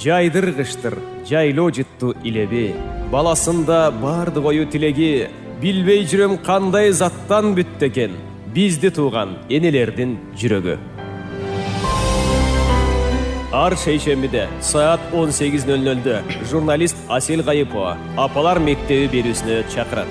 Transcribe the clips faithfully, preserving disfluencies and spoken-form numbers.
жайдыргыштыр жайлоо жытту илеби, баласында бардык ою тилеги, билбей жүрөм кандай заттан бүттү экен бизди тууган энелердин жүрөгү. Ар шейшембиде саат он сегиз ноль нольдө журналист Асель Кайыпова апалар мектеби берүүсүнө чакырат.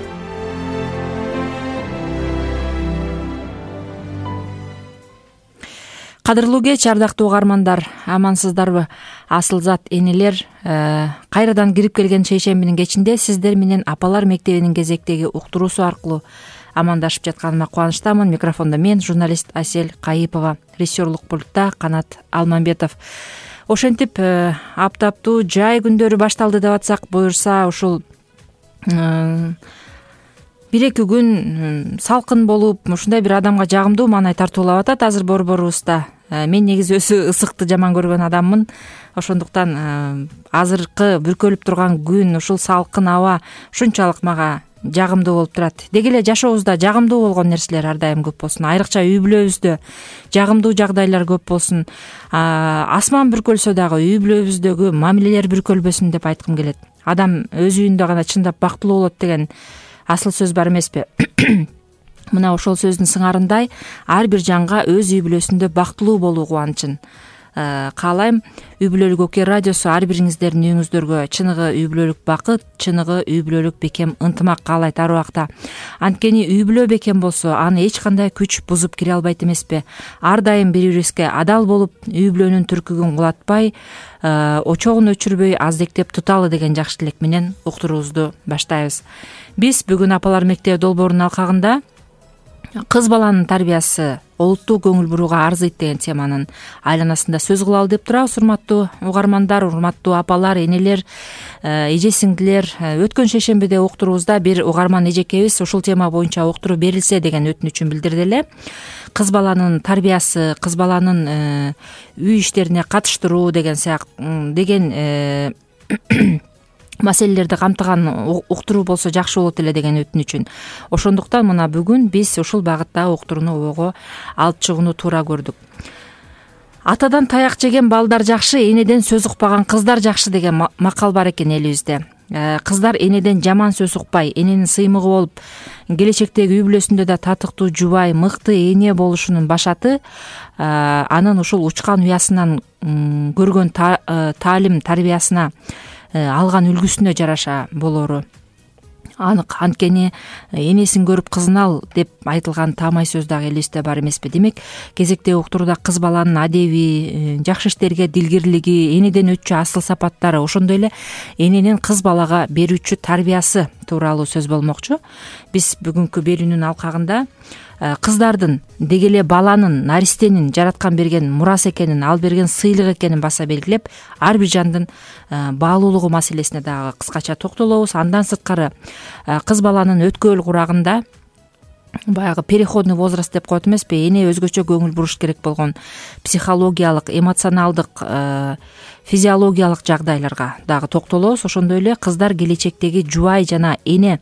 Кадырлуу кеч, ардактуу угармандар, амансыздарбы? Асылзат энелер, кайрадан кирип келген шейшембинин кечинде сиздер менен апалар мектебинин кезектеги уктуруусу аркылуу амандашып жатканыма кубанычтамын. Микрофондо мен, журналист Асель Кайыпова, режиссерлук пультта Канат Алмамбетов. Ошентип аптаптуу жай күндөрү башталды деп атсак буюрса, ушул бир эки күн салкын болуп, ушундай бир адамга жагымдуу маанай тартуулап атат азыр борборубузда. Мен негизи өзү ысыкты жаман көргөн адаммын. Ошондуктан азыркы бүркөлүп турган күн, ушул салкын аба ушунчалык мага жагымдуу болуп турат. Деги эле жашообузда жагымдуу болгон нерселер ар дайым көп болсун. Айрыкча үй бүлөбүздө жагымдуу жагдайлар көп болсун. Асман бүркөлсө дагы үй бүлөбүздөгү мамилелер бүркөлбөсүн деп айткым келет. Адам өз үйүндө гана чындап бактылуу болот деген асыл сөз бар эмеспи? Мына ошол сөздүн сыңарындай ар бир жанга өз үй бүлөсүндө бактылуу болуу кубанычын каалайм. Үй бүлөлүк Окей радиосу ар бириңиздердин үйүңүздөргө чыныгы үй бүлөлүк бакыт, чыныгы үй бүлөлүк бекем ынтымак каалайт ар убакта. Анткени үй бүлө бекем болсо, аны эч кандай күч бузуп кире албайт эмеспи? Ар дайым бири бирибизге адал болуп, үй бүлөнүн түркүгүн кулатпай, очогун өчүрбөй аздектеп туталы деген жакшы тилек менен уктуруубузду баштайбыз. Биз бүгүн апалар мектеби долбоорунун алкагында кыз баланын тарбиясы олуттуу көңүл бурууга арзыйт деген теманын айланасында сөз кылалы деп турабыз. Урматтуу угармандар, урматтуу апалар, энелер, эже сиңдилер, өткөн шейшембиде уктуруубузда бир угарман эжекебиз ушул тема боюнча уктуруу берилсе деген өтүнүчүн билдирди эле. Кыз баланын тарбиясы, кыз баланын үй иштерине катыштыруу деген сыяктуу деген маселелерди камтыган уктуруу болсо жакшы болот эле деген өтүнүчүн. Ошондуктан мына бүгүн биз ушул багыттагы уктурууну ойго алып чыгууну туура көрдүк. Атадан таяк жеген балдар жакшы, энеден сөз укпаган кыздар жакшы деген макал бар экен элибизде. Кыздар энеден жаман сөз укпай, эненин сыймыгы болуп, келечектеги үй бүлөсүндө да татыктуу жубай, мыкты эне болушунун башаты анын ушул учкан уясынан көргөн таалим тарбиясына алган үлгүсүнө жараша болору анык. Анткени энесин көрүп кызын ал деп айтылган таамай сөз дагы элибизде бар эмеспи? Демек, кезектеги уктурууда кыз баланын адеби, жакшы иштерге дилгирлиги, энеден өтчү асыл сапаттары, ошондой эле эненин кыз балага берүүчү тарбиясы тууралуу сөз болмокчу. Биз бүгүнкү берүүнүн алкагында кыздардын, деги эле баланын, наристенин жараткан берген мурас экенин, ал берген сыйлык экенин баса белгилеп, ар бир жандын баалуулугу маселесине дагы кыскача токтолобуз. Андан сырткары кыз баланын өткөл курагында баягы переходный возраст деп коет эмеспи, эне өзгөчө көңүл буруш керек болгон психологиялык, эмоционалдык, физиологиялык жагдайларга дагы токтолобуз. Ошондой эле кыздар келечектеги жубай жана эне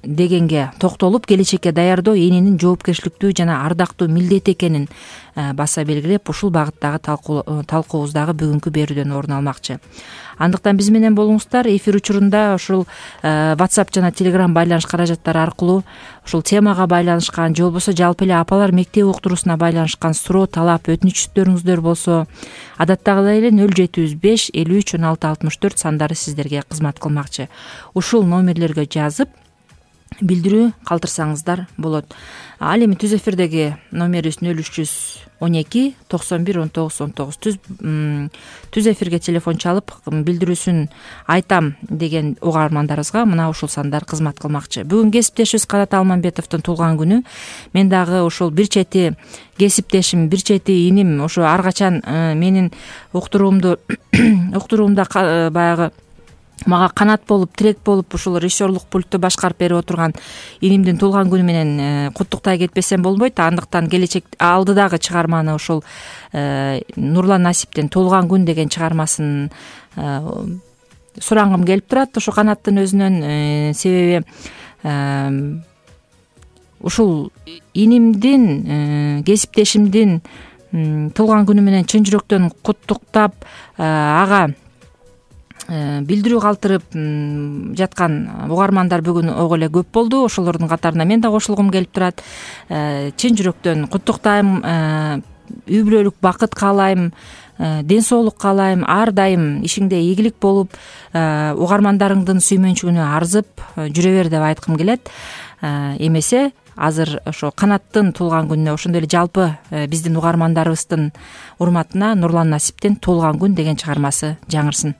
дегенге токтолуп, келечекке даярдоо эненин жоопкерчиликтүү жана ардактуу милдети экенин баса белгилеп, ушул багыттагы талкуубуздагы бүгүнкү берүүдөн орун алмакчы. Андыктан биз менен болуңуздар. Эфир учурунда ушул WhatsApp жана Telegram байланыш каражаттары аркылуу ушул темага байланышкан же болбосо жалпы эле апалар мектеби уктуруусуна байланышкан суроо, талап, өтүнүчтөрүңүздөр болсо, адаттагыдай эле нөл жети жүз беш элүү үч он алты алтымыш төрт сандары сиздерге кызмат кылмакчы. Ушул номерлерге жазып билдирүү калтырсаңыздар болот. Ал эми түз эфирдеги номерибиз нөл үч жүз он эки токсон бир он тогуз он тогуз. Түз эфирге телефон чалып билдирүүсүн айтам деген угармандарыбызга мына ушул сандар кызмат кылмакчы. Бүгүн кесиптешибиз Канат Алмамбетовдун туулган күнү. Мен дагы ушул бир чети кесиптешим, бир чети иним ошо ар качан менин уктуруумду уктуруумда баягы мага канат болуп, тирек болуп, ушул режиссерлук пультту башкарып берип отурган инимдин туулган күнү менен куттуктай кетпесем болбойт. Андыктан келечек алдыдагы чыгарманы ушул Нурлан Насиптин туулган күн деген чыгармасын сурангым келип турат ошо Канаттын өзүнөн. Себеби ушул инимдин, кесиптешимдин туулган күнү менен чын жүрөктөн куттуктап ага билдирүү калтырып жаткан угармандар бүгүн ого эле көп болду. Ошолордун катарына мен да кошулгум келип турат. Чын жүрөктөн куттуктайм, үй бүлөлүк бакыт каалайм, ден соолук каалайм, ар дайым ишиңде ийгилик болуп, угармандарыңдын сүймөнчүгүнө арзып жүрө бер деп айткым келет. Эмесе азыр ошо Канаттын туулган күнүнө, ошондой эле жалпы биздин угармандарыбыздын урматына Нурлан Насиптен Туулган күн деген чыгармасы жаңырсын.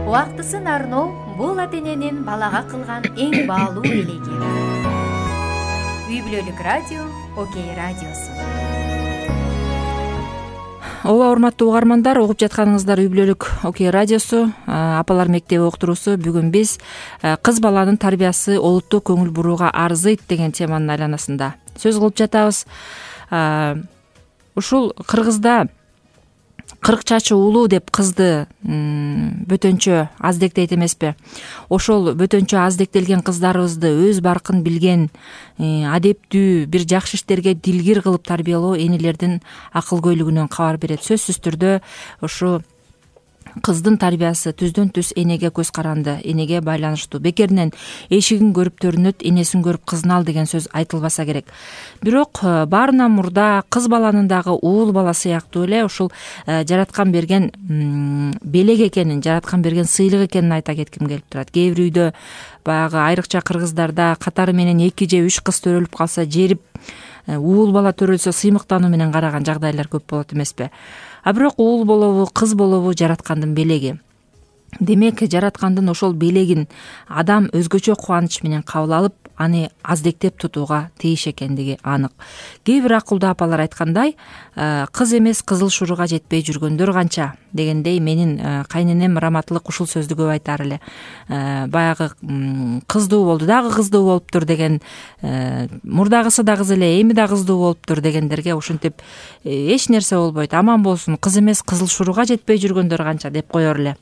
Убактысын арноо бул ата-эненин балага кылган эң баалуу элеги. Үй бүлөлүк радио Окей радиосу. Ооба, урматтуу угармандар, угуп жатканыңыздар Үй бүлөлүк Окей радиосу, апалар мектеби уктуруусу. Бүгүн биз кыз баланын тарбиясы олуттуу көңүл бурууга арзыйт деген теманын айланасында сөз кылып жатабыз. Ушул Кыргызда кырк чачы улуу деп кызды бөтөнчө аздектейт эмеспи? Ошол бөтөнчө аздектелген кыздарыбызды өз баркын билген, адептүү, бир жакшы иштерге дилгир кылып тарбиялоо энелердин акылгөйлүгүнөн кабар берет. Сөзсүз түрдө ушу кыздын тарбиясы түздөн түз энеге көз каранды, энеге байланыштуу. Бекеринен эшигин көрүп төрүнөт, энесин көрүп кызын ал деген сөз айтылбаса керек. Бирок баарынан мурда кыз баланын дагы уул бала сыяктуу эле ушул жараткан берген белек экенин, жараткан берген сыйлык экенин айта кетким келип турат. Кээ бир үйдө баягы айрыкча кыргыздарда катары менен эки же үч кыз төрөлүп калса, жерип уул бала төрөлсө сыймыктануу менен караган жагдайлар көп болот эмеспи? А бирок уул болобу, кыз болобу жараткандын белеги. Демек, жараткандын ошол белегин адам өзгөчө кубаныч менен кабыл алып, аны аздектеп тутууга тийиш экендиги анык. Кээ бир акылдуу апалар айткандай, кыз эмес кызыл шуруга жетпей жүргөндөр канча дегендей, менин кайненем Раматылык ушул сөздү көп айтар эле. Баягы кыздуу болду, дагы кыздуу болуптур деген, мурдагысы да кыз эле, эми да кыздуу болуптур дегендерге ушинтип эч нерсе болбойт, аман болсун, кыз эмес кызыл шуруга жетпей жүргөндөр канча деп коер эле.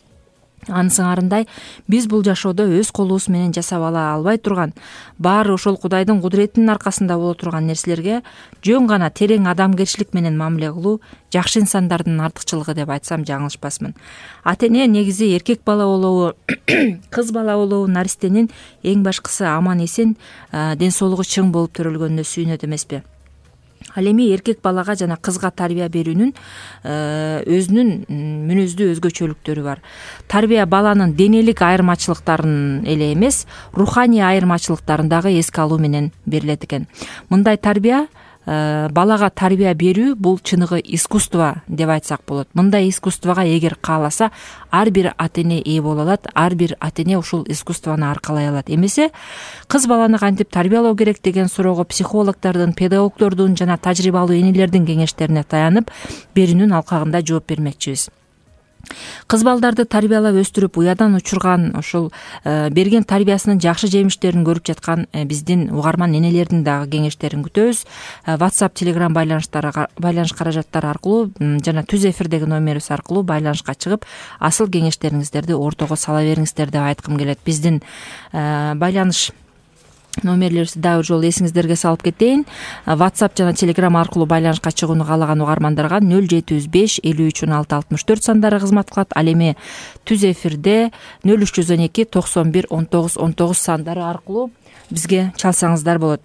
Анысыңарындай, биз бул жашоодо өз колубуз менен жасап ала албай турган, баары ошол Кудайдын кудуретинин аркасында боло турган нерселерге жөн гана терең адамгерчилик менен мамиле кылуу жакшы инсандардын артыкчылыгы деп айтсам жаңылышпасмын. Ата эне негизи эркек бала болобу, кыз бала болобу, наристенин эң башкысы аман эсен, ден соолугу чың болуп төрөлгөнүнө сүйүнөт эмеспи? Ал эми эркек балага жана кызга тарбия берүүнүн өзүнүн мүнөздүү өзгөчөлүктөрү бар. Тарбия баланын денелик айырмачылыктарын эле эмес, руханий айырмачылыктарын дагы эске алуу менен берилет экен. Мындай тарбия, балага тарбия берүү бул чыныгы искусство деп айтсак болот. Мындай искусствого эгер кааласа, ар бир ата эне ээ боло алат, ар бир ата эне ушул искусствону аркалай алат. Эмесе кыз баланы кантип тарбиялоо керек деген суроого психологдордун, педагогдордун жана тажрыйбалуу энелердин кеңештерине таянып, берүүнүн алкагында жооп бермекчибиз. Кыз балдарды тарбиялап өстүрүп, уядан учурган, ушул берген тарбиясынын жакшы жемиштерин көрүп жаткан биздин угарман энелердин дагы кеңештерин күтөбүз. WhatsApp, Telegram байланыштары, байланыш каражаттары аркылуу жана түз эфирдеги номерибиз аркылуу байланышка чыгып, асыл кеңештериңиздерди ортого сала бериңиздер деп айткым келет. Биздин байланыш номерлерибизди дагы бир жолу эсиңиздерге салып кетейин. WhatsApp жана Telegram аркылуу байланышка чыгууну каалаган угармандарга нөл жети жүз беш элүү үч он алты алтымыш төрт сандары кызмат кылат. Ал эми түз эфирде нөл үч жүз он эки токсон бир он тогуз он тогуз сандары аркылуу бизге чалсаңыздар болот.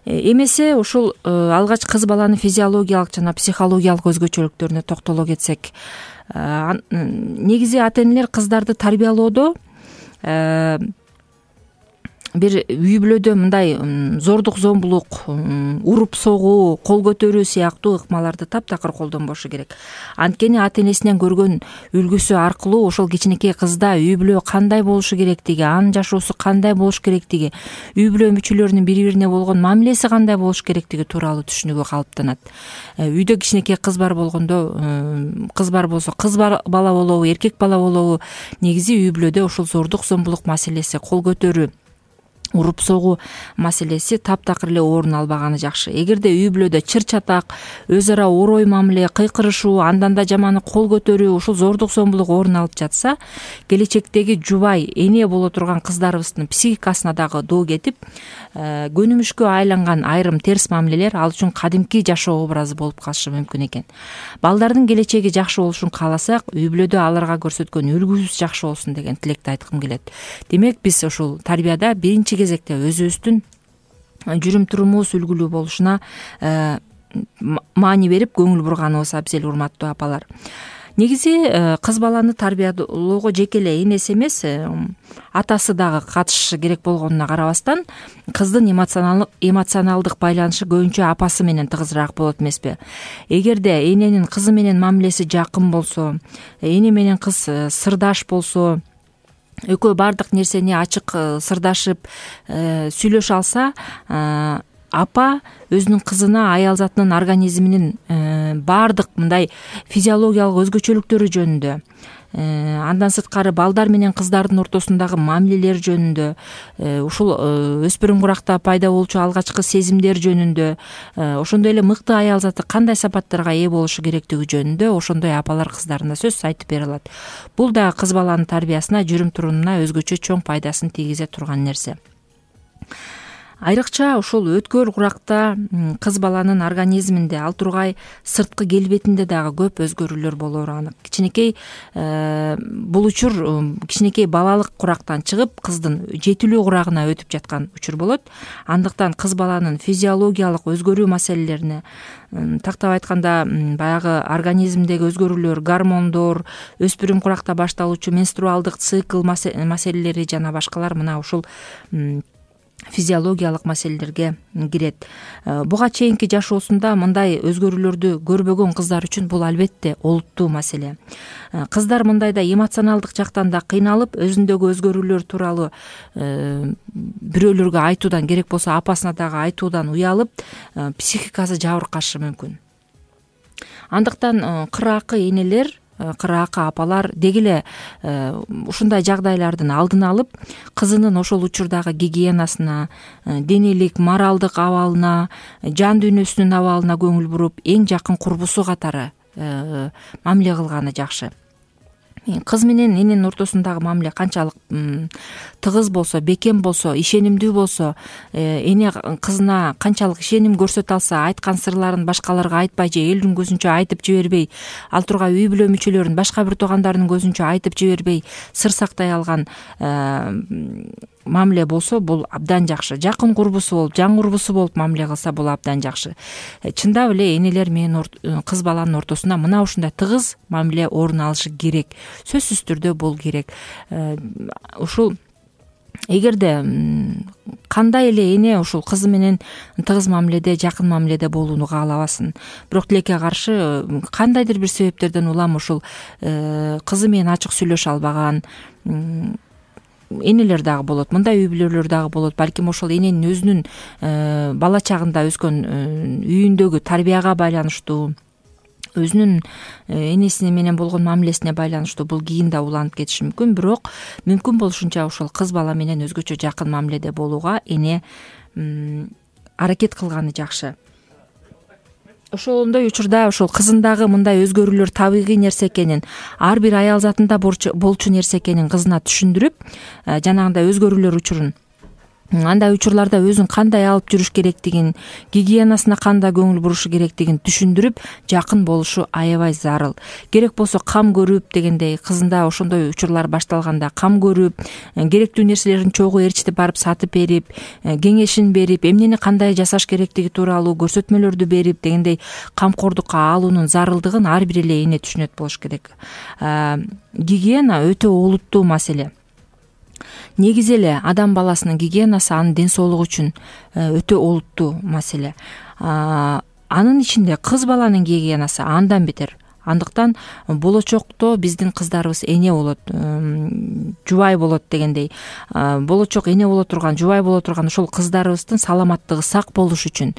Эмесе ушул алгач кыз баланын физиологиялык жана психологиялык өзгөчөлүктөрүнө токтоло кетсек, негизи ата энелер кыздарды тарбиялоодо бир үй бүлөдө мындай зордук зомбулук, уруп согуу, кол көтөрүү сыяктуу ыкмаларды таптакыр колдонбошу керек. Анткени ата энесинен көргөн үлгүсү аркылуу ошол кичинекей кызда үй бүлө кандай болушу керектиги, анын жашоосу кандай болуш керектиги, үй бүлө мүчөлөрүнүн бири бирине болгон мамилеси кандай болуш керектиги тууралуу түшүнүгү калыптанат. Үйдө кичинекей кыз бар болгондо, кыз бар болсо, кыз бала болобу, эркек бала болобу, негизи үй бүлөдө ушул зордук зомбулук маселеси, кол көтөрүү, уруп согуу маселеси таптакыр эле орун албаганы жакшы. Эгерде үй бүлөдө чыр чатак, өз ара орой мамиле, кыйкырышуу, андан да жаманы кол көтөрүү, ушул зордук зомбулук орун алып жатса, келечектеги жубай, эне боло турган кыздарыбыздын психикасына дагы доо кетип, көнүмүшкө айланган айрым терс мамилелер ал үчүн кадимки жашоо образы болуп калышы мүмкүн экен. Балдардын келечеги жакшы болушун кааласак, үй бүлөдө аларга көрсөткөн үлгүбүз жакшы болсун деген тилекти айткым келет. Демек, биз ушул тарбияда биринчи кезекте өзүбүздүн жүрүм турумубуз үлгүлүү болушуна маани берип көңүл бурганыбыз абзел, урматтуу апалар. Негизи кыз баланы тарбиялоого жеке эле энеси эмес, атасы дагы катышышы керек болгонуна карабастан, кыздын эмоционалдык байланышы көбүнчө апасы менен тыгызыраак болот эмеспи? Эгерде эненин кызы менен мамилеси жакын болсо, эне менен кыз сырдаш болсо, экөө бардык нерсени ачык сырдашып сүйлөшө алса, апа өзүнүн кызына аял затынын организминин баардык мындай физиологиялык өзгөчөлүктөрү жөнүндө, андан сырткары балдар менен кыздардын ортосундагы мамилелер жөнүндө, ушул өспүрүм куракта пайда болчу алгачкы сезимдер жөнүндө, ошондой эле мыкты аял заты кандай сапаттарга ээ болушу керектиги жөнүндө ошондой апалар кыздарына сөз айтып бере алат. Бул да кыз баланын тарбиясына, жүрүм-турумуна өзгөчө чоң пайдасын тийгизе турган нерсе. Айрыкча ушул өткөл куракта кыз баланын организминде, ал тургай сырткы келбетинде дагы көп өзгөрүүлөр болоору анык. Кичинекей бул учур кичинекей балалык курактан чыгып, кыздын жетилүү курагына өтүп жаткан учур болот. Андыктан кыз баланын физиологиялык өзгөрүү маселелерине, тактап айтканда баягы организмдеги өзгөрүүлөр, гормондор, өспүрүм куракта башталуучу менструалдык цикл маселелери жана башкалар мына ушул физиологиялык маселелерге кирет. Буга чейинки жашоосунда мындай өзгөрүүлөрдү көрбөгөн кыздар үчүн бул албетте олуттуу маселе. Кыздар мындайда эмоционалдык жактан да кыйналып, өзүндөгү өзгөрүүлөр тууралуу бирөөлөргө айтуудан, керек болсо апасына дагы айтуудан уялып, психикасы жабыркашы мүмкүн. Андыктан кыракы энелер, кыракы апалар деги эле ушундай жагдайлардын алдын алып, кызынын ошол учурдагы гигиенасына, денелик, моралдык абалына, жан дүйнөсүнүн абалына көңүл буруп, эң жакын курбусу катары мамиле кылганы жакшы. Кыз менен эненин ортосундагы мамиле канчалык тыгыз болсо, бекем болсо, ишенимдүү болсо, эне кызына канчалык ишеним көрсөтө алса, айткан сырларын башкаларга айтпай же элдин көзүнчө айтып жибербей, ал тургай үй бүлө мүчөлөрүн башка бир туугандарынын көзүнчө айтып жибербей, сыр сактай алган мамиле болсо, бул абдан жакшы. Жакын курбусу болуп, жан курбусу болуп мамиле кылса, бул абдан жакшы. Чындап эле энелер менен кыз баланын ортосунда мына ушундай тыгыз мамиле орун алышы керек. Сөзсүз түрдө бул керек. Ушул эгерде кандай эле эне ушул кызы менен тыгыз мамиледе, жакын мамиледе болууну каалабасын, бирок тилекке каршы кандайдыр бир себептерден улам ушул кызы менен ачык сүйлөшө албаган энелер дагы болот, мындай үй бүлөлөр дагы болот. Балким ошол эненин өзүнүн бала чагында өскөн үйүндөгү тарбияга байланыштуу, өзүнүн энеси менен болгон мамилесине байланыштуу бул кийин да уланып кетиши мүмкүн. Бирок мүмкүн болушунча ошол кыз бала менен өзгөчө жакын мамиледе болууга эне аракет кылганы жакшы. Ошондой учурда ошол кызындагы мындай өзгөрүүлөр табигый нерсе экенин, ар бир аял затында болчу нерсе экенин кызына түшүндүрүп, жанагындай өзгөрүүлөр учурун, андай учурларда өзүн кандай алып жүрүш керектигин, гигиенасына кандай көңүл бурушу керектигин түшүндүрүп, жакын болушу аябай зарыл. Керек болсо кам көрүп дегендей, кызында ошондой учурлар башталганда кам көрүп, керектүү нерселерин чогуу ээрчитип барып сатып берип, кеңешин берип, эмнени кандай жасаш керектиги тууралуу көрсөтмөлөрдү берип дегендей камкордукка алуунун зарылдыгын ар бир эле эне түшүнөт болуш керек. Гигиена өтө олуттуу маселе. Негизи эле адам баласынын гигиенасы анын ден соолугу үчүн өтө олуттуу маселе. Анын ичинде кыз баланын гигиенасы андан бетер. Андыктан болочокто биздин кыздарыбыз эне болот, жубай болот дегендей, болочок эне боло турган, жубай боло турган ошол кыздарыбыздын саламаттыгы сак болуш үчүн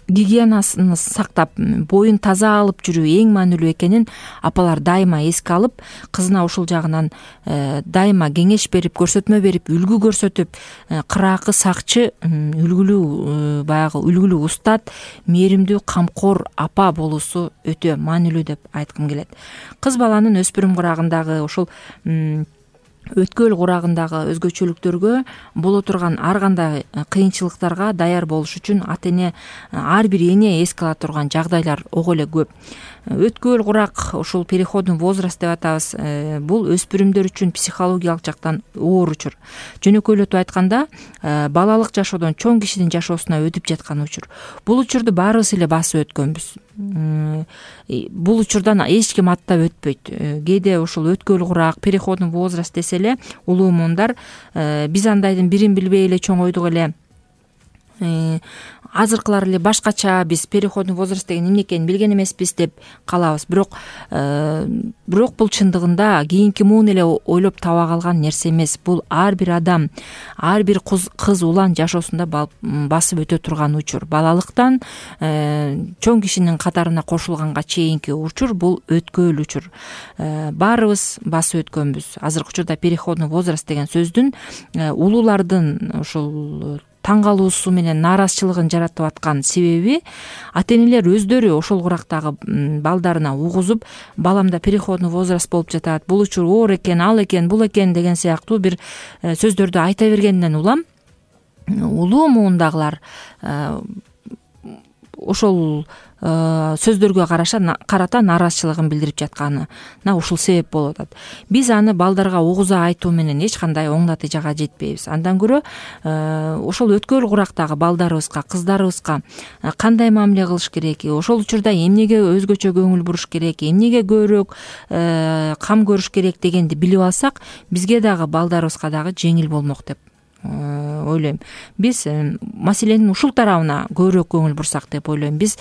гигиенасын сактап, боюн таза алып жүрүү эң маанилүү экенин апалар дайыма эске алып, кызына ушул жагынан дайыма кеңеш берип, көрсөтмө берип, үлгү көрсөтүп, кыракы сакчы, үлгүлүү баягы үлгүлүү устат, мээримдүү камкор апа болуусу өтө маанилүү деп айткым келет. Кыз баланын өспүрүм курагындагы ушул өткөл курагындагы өзгөчөлүктөргө, боло турган ар кандай кыйынчылыктарга даяр болуш үчүн ата эне, ар бир эне эске ала турган жагдайлар ого эле көп. Өткөл курак, ушул переходный возраст деп атабыз, бул өспүрүмдөр үчүн психологиялык жактан оор учур. Жөнөкөйлөтүп айтканда, балалык жашоодон чоң кишинин жашоосуна өтүп жаткан учур. Бул учурду баарыбыз эле басып өткөнбүз. Бул учурдан эч ким аттап өтпөйт. Кээде ушул өткөл курак, переходный возраст десе эле улуу муундар, биз андайдын бирин билбей эле чоңойдук эле, азыркылар эле башкача, биз переходный возраст деген эмне экенин билген эмеспиз деп калабыз. Бирок бирок бул чындыгында кийинки муун эле ойлоп таба калган нерсе эмес. Бул ар бир адам, ар бир кыз улан жашоосунда басып өтө турган учур. Балалыктан чоң кишинин катарына кошулганга чейинки учур бул өткөөл учур. Баарыбыз басып өткөнбүз. Азыркы учурда переходный возраст деген сөздүн улуулардын ушул таң калуусу менен нааразычылыгын жаратып аткан себеби ата энелер өздөрү ошол курактагы балдарына угузуп, баламда переходный возраст болуп жатат, бул учур оор экен, ал экен, бул экен деген сыяктуу бир сөздөрдү айта бергенден улам улуу муундагылар ошол сөздөргө карата нааразычылыгын билдирип жатканына ушул себеп болуп атат. Биз аны балдарга угуза айтуу менен эч кандай оң натыйжага жетпейбиз. Андан көрө ошол өткөөл курактагы балдарыбызга, кыздарыбызга кандай мамиле кылыш керек, ошол учурда эмнеге өзгөчө көңүл буруш керек, эмнеге көбүрөөк кам көрүш керек дегенди билип алсак, бизге дагы балдарыбызга дагы жеңил болмок деп ойлойм. Биз маселенин ушул тарабына көбүрөөк көңүл бурсак деп ойлойм. Биз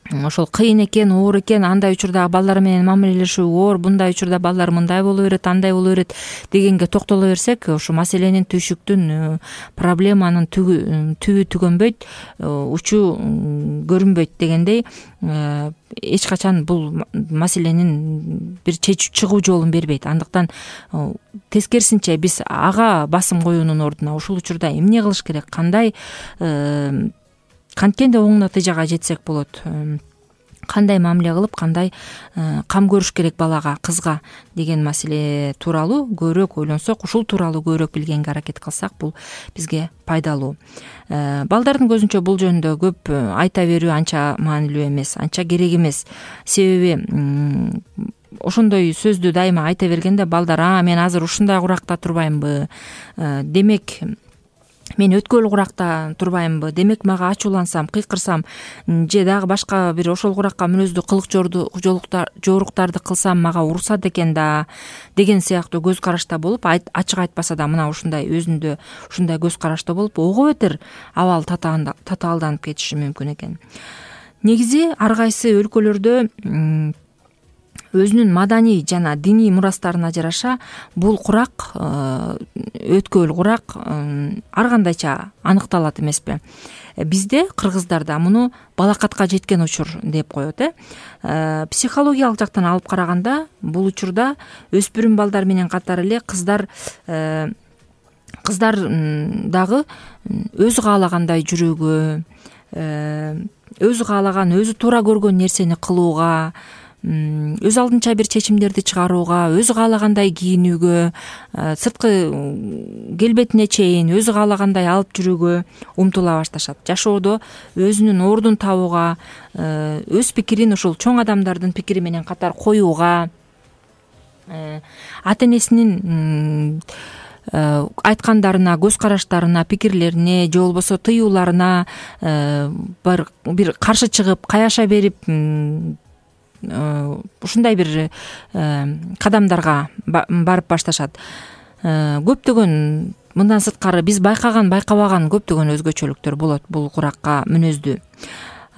ошол кыйын экен, оор экен, андай учурда балдар менен мамилелешүү оор, bunday учурда балдар мындай боло берет, андай боло берет дегенге токтоло берсек, ошо маселенин түйшүктүн, проблеманын түбү түгөнбөйт, учу көрүнбөйт дегендей, эч качан бул маселенин бир чыгуу жолун бербейт. Андыктан тескерисинче биз ага басым коюунун ордуна ушул учурда эмне кылыш керек, кандай канткенде оң натыйжага жетсек болот, кандай мамиле кылып, кандай кам көрүш керек балага, кызга деген маселе тууралуу көбүрөөк ойлонсок, ушул тууралуу көбүрөөк билгенге аракет кылсак, бул бизге пайдалуу. Балдардын көзүнчө бул жөнүндө көп айта берүү анча маанилүү эмес, анча керек эмес. Себеби ошондой сөздү дайыма айта бергенде балдар: "А, мен азыр ушундай куракта турбаймынбы? Демек мен өткөөл куракта турбаймынбы? Демек мага ачуулансам, кыйкырсам же дагы башка бир ошол куракка мүнөздүү кылык жоруктарды кылсам мага урушат экен да" деген сыяктуу көз карашта болуп, ачык айтпаса да мына ушундай өзүндө ушундай көз карашта болуп, ого бетер абал татаалданып кетиши мүмкүн экен. Негизи ар кайсы өлкөлөрдө өзүнүн маданий жана диний мурастарына жараша бул курак, өткөөл курак ар кандайча аныкталат эмеспи? Бизде, кыргыздарда, муну балакатка жеткен учур деп коет. э Психологиялык жактан алып караганда, бул учурда өспүрүм балдар менен катар эле кыздар кыздар дагы өзү каалагандай жүрүүгө, өзү каалаган, өзү туура көргөн нерсени кылууга, өз алдынча бир чечимдерди чыгарууга, өзү каалагандай кийинүүгө, сырткы келбетине чейин өзү каалагандай алып жүрүүгө умтула башташат. Жашоодо өзүнүн ордун табууга, өз пикирин ушул чоң адамдардын пикири менен катар коюуга, ата энесинин айткандарына, көз караштарына, пикирлерине же болбосо тыюуларына бир каршы чыгып, каяша берип, ушундай бир кадамдарга барып башташат. Көптөгөн мындан сырткары биз байкаган, байкабаган көптөгөн өзгөчөлүктөр болот бул куракка мүнөздүү.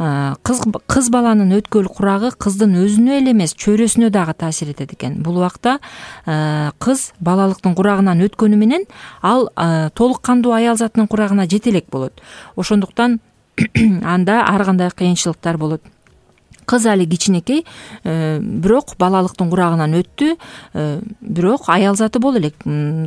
Кыз баланын өткөөл курагы кыздын өзүнө эле эмес, чөйрөсүнө дагы таасир этет экен. Бул убакта кыз балалыктын курагынан өткөнү менен ал толук кандуу аял затынын курагына жете элек болот. Ошондуктан анда ар кандай кыйынчылыктар болот. Кыз али кичинекей, бирок балалыктын курагынан өттү, бирок аял заты боло элек.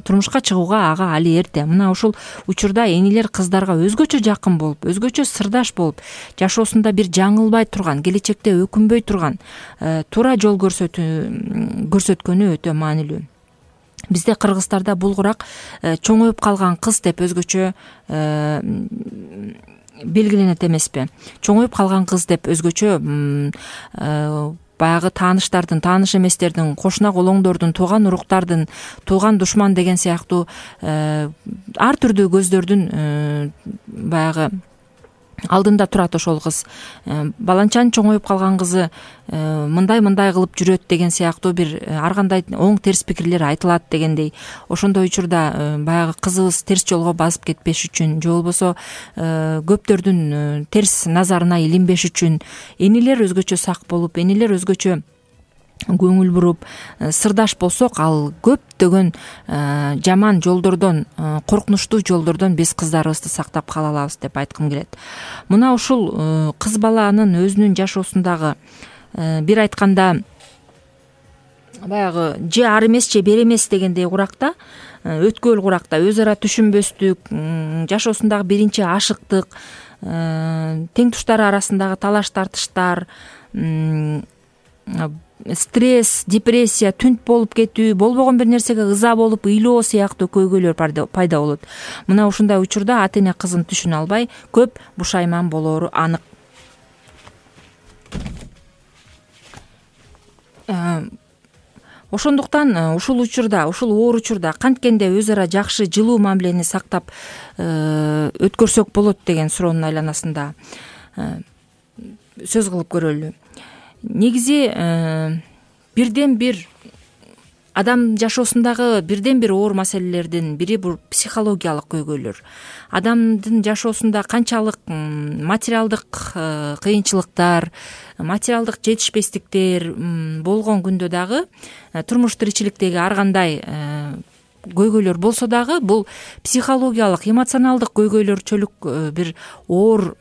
Турмушка чыгууга ага али эрте. Мына ушул учурда энелер кыздарга өзгөчө жакын болуп, өзгөчө сырдаш болуп, жашоосунда бир жаңылбай турган, келечекте өкүнбөй турган, туура жол көрсөткөнү өтө маанилүү. Бизде кыргыздарда бул курак чоңоюп калган кыз деп өзгөчө белгиленет эмеспи? Чоңоюп калган кыз деп өзгөчө баягы тааныштардын, тааныш эместердин, кошуна колоңдордун, тууган уруктардын, тууган душман деген сыяктуу ар түрдүү көздөрдүн баягы алдында турат ошол кыз. Баланчанын чоңоюп калган кызы мындай мындай кылып жүрөт деген сыяктуу бир ар кандай оң терс пикирлер айтылат дегендей. Ошондой учурда баягы кызыбыз терс жолго басып кетпеш үчүн же болбосо көптөрдүн терс назарына илинбеш үчүн энелер өзгөчө сак болуп, энелер өзгөчө көңүл буруп, сырдаш болсок, ал көптөгөн жаман жолдордон, коркунучтуу жолдордон биз кыздарыбызды сактап кала алабыз деп айткым келет. Мына ушул кыз баланын өзүнүн жашоосундагы бир айтканда баягы же ар эмес же бер эмес дегендей куракта, өткөл куракта өз ара түшүнбөстүк, жашоосундагы биринчи ашыктык, тең туштары арасындагы талаш тартыштар, стресс, депрессия, түнт болуп кетүү, болбогон бир нерсеге ыза болуп ыйлоо сыяктуу көйгөйлөр пайда болот. Мына ушундай учурда ата эне кызын түшүнө албай көп бушайман болоору анык. Ошондуктан ушул учурда, ушул оор учурда канткенде өз ара жакшы, жылуу мамилени сактап өткөрсөк болот деген суроонун айланасында сөз кылып көрөлү. Негизи бирден бир адам жашоосундагы бирден бир оор маселелердин бири бул психологиялык көйгөйлөр. Адамдын жашоосунда канчалык материалдык кыйынчылыктар, материалдык жетишпестиктер болгон күндө дагы, турмуш тиричиликтеги ар кандай көйгөйлөр болсо дагы, бул психологиялык, эмоционалдык көйгөйлөрчөлүк бир оор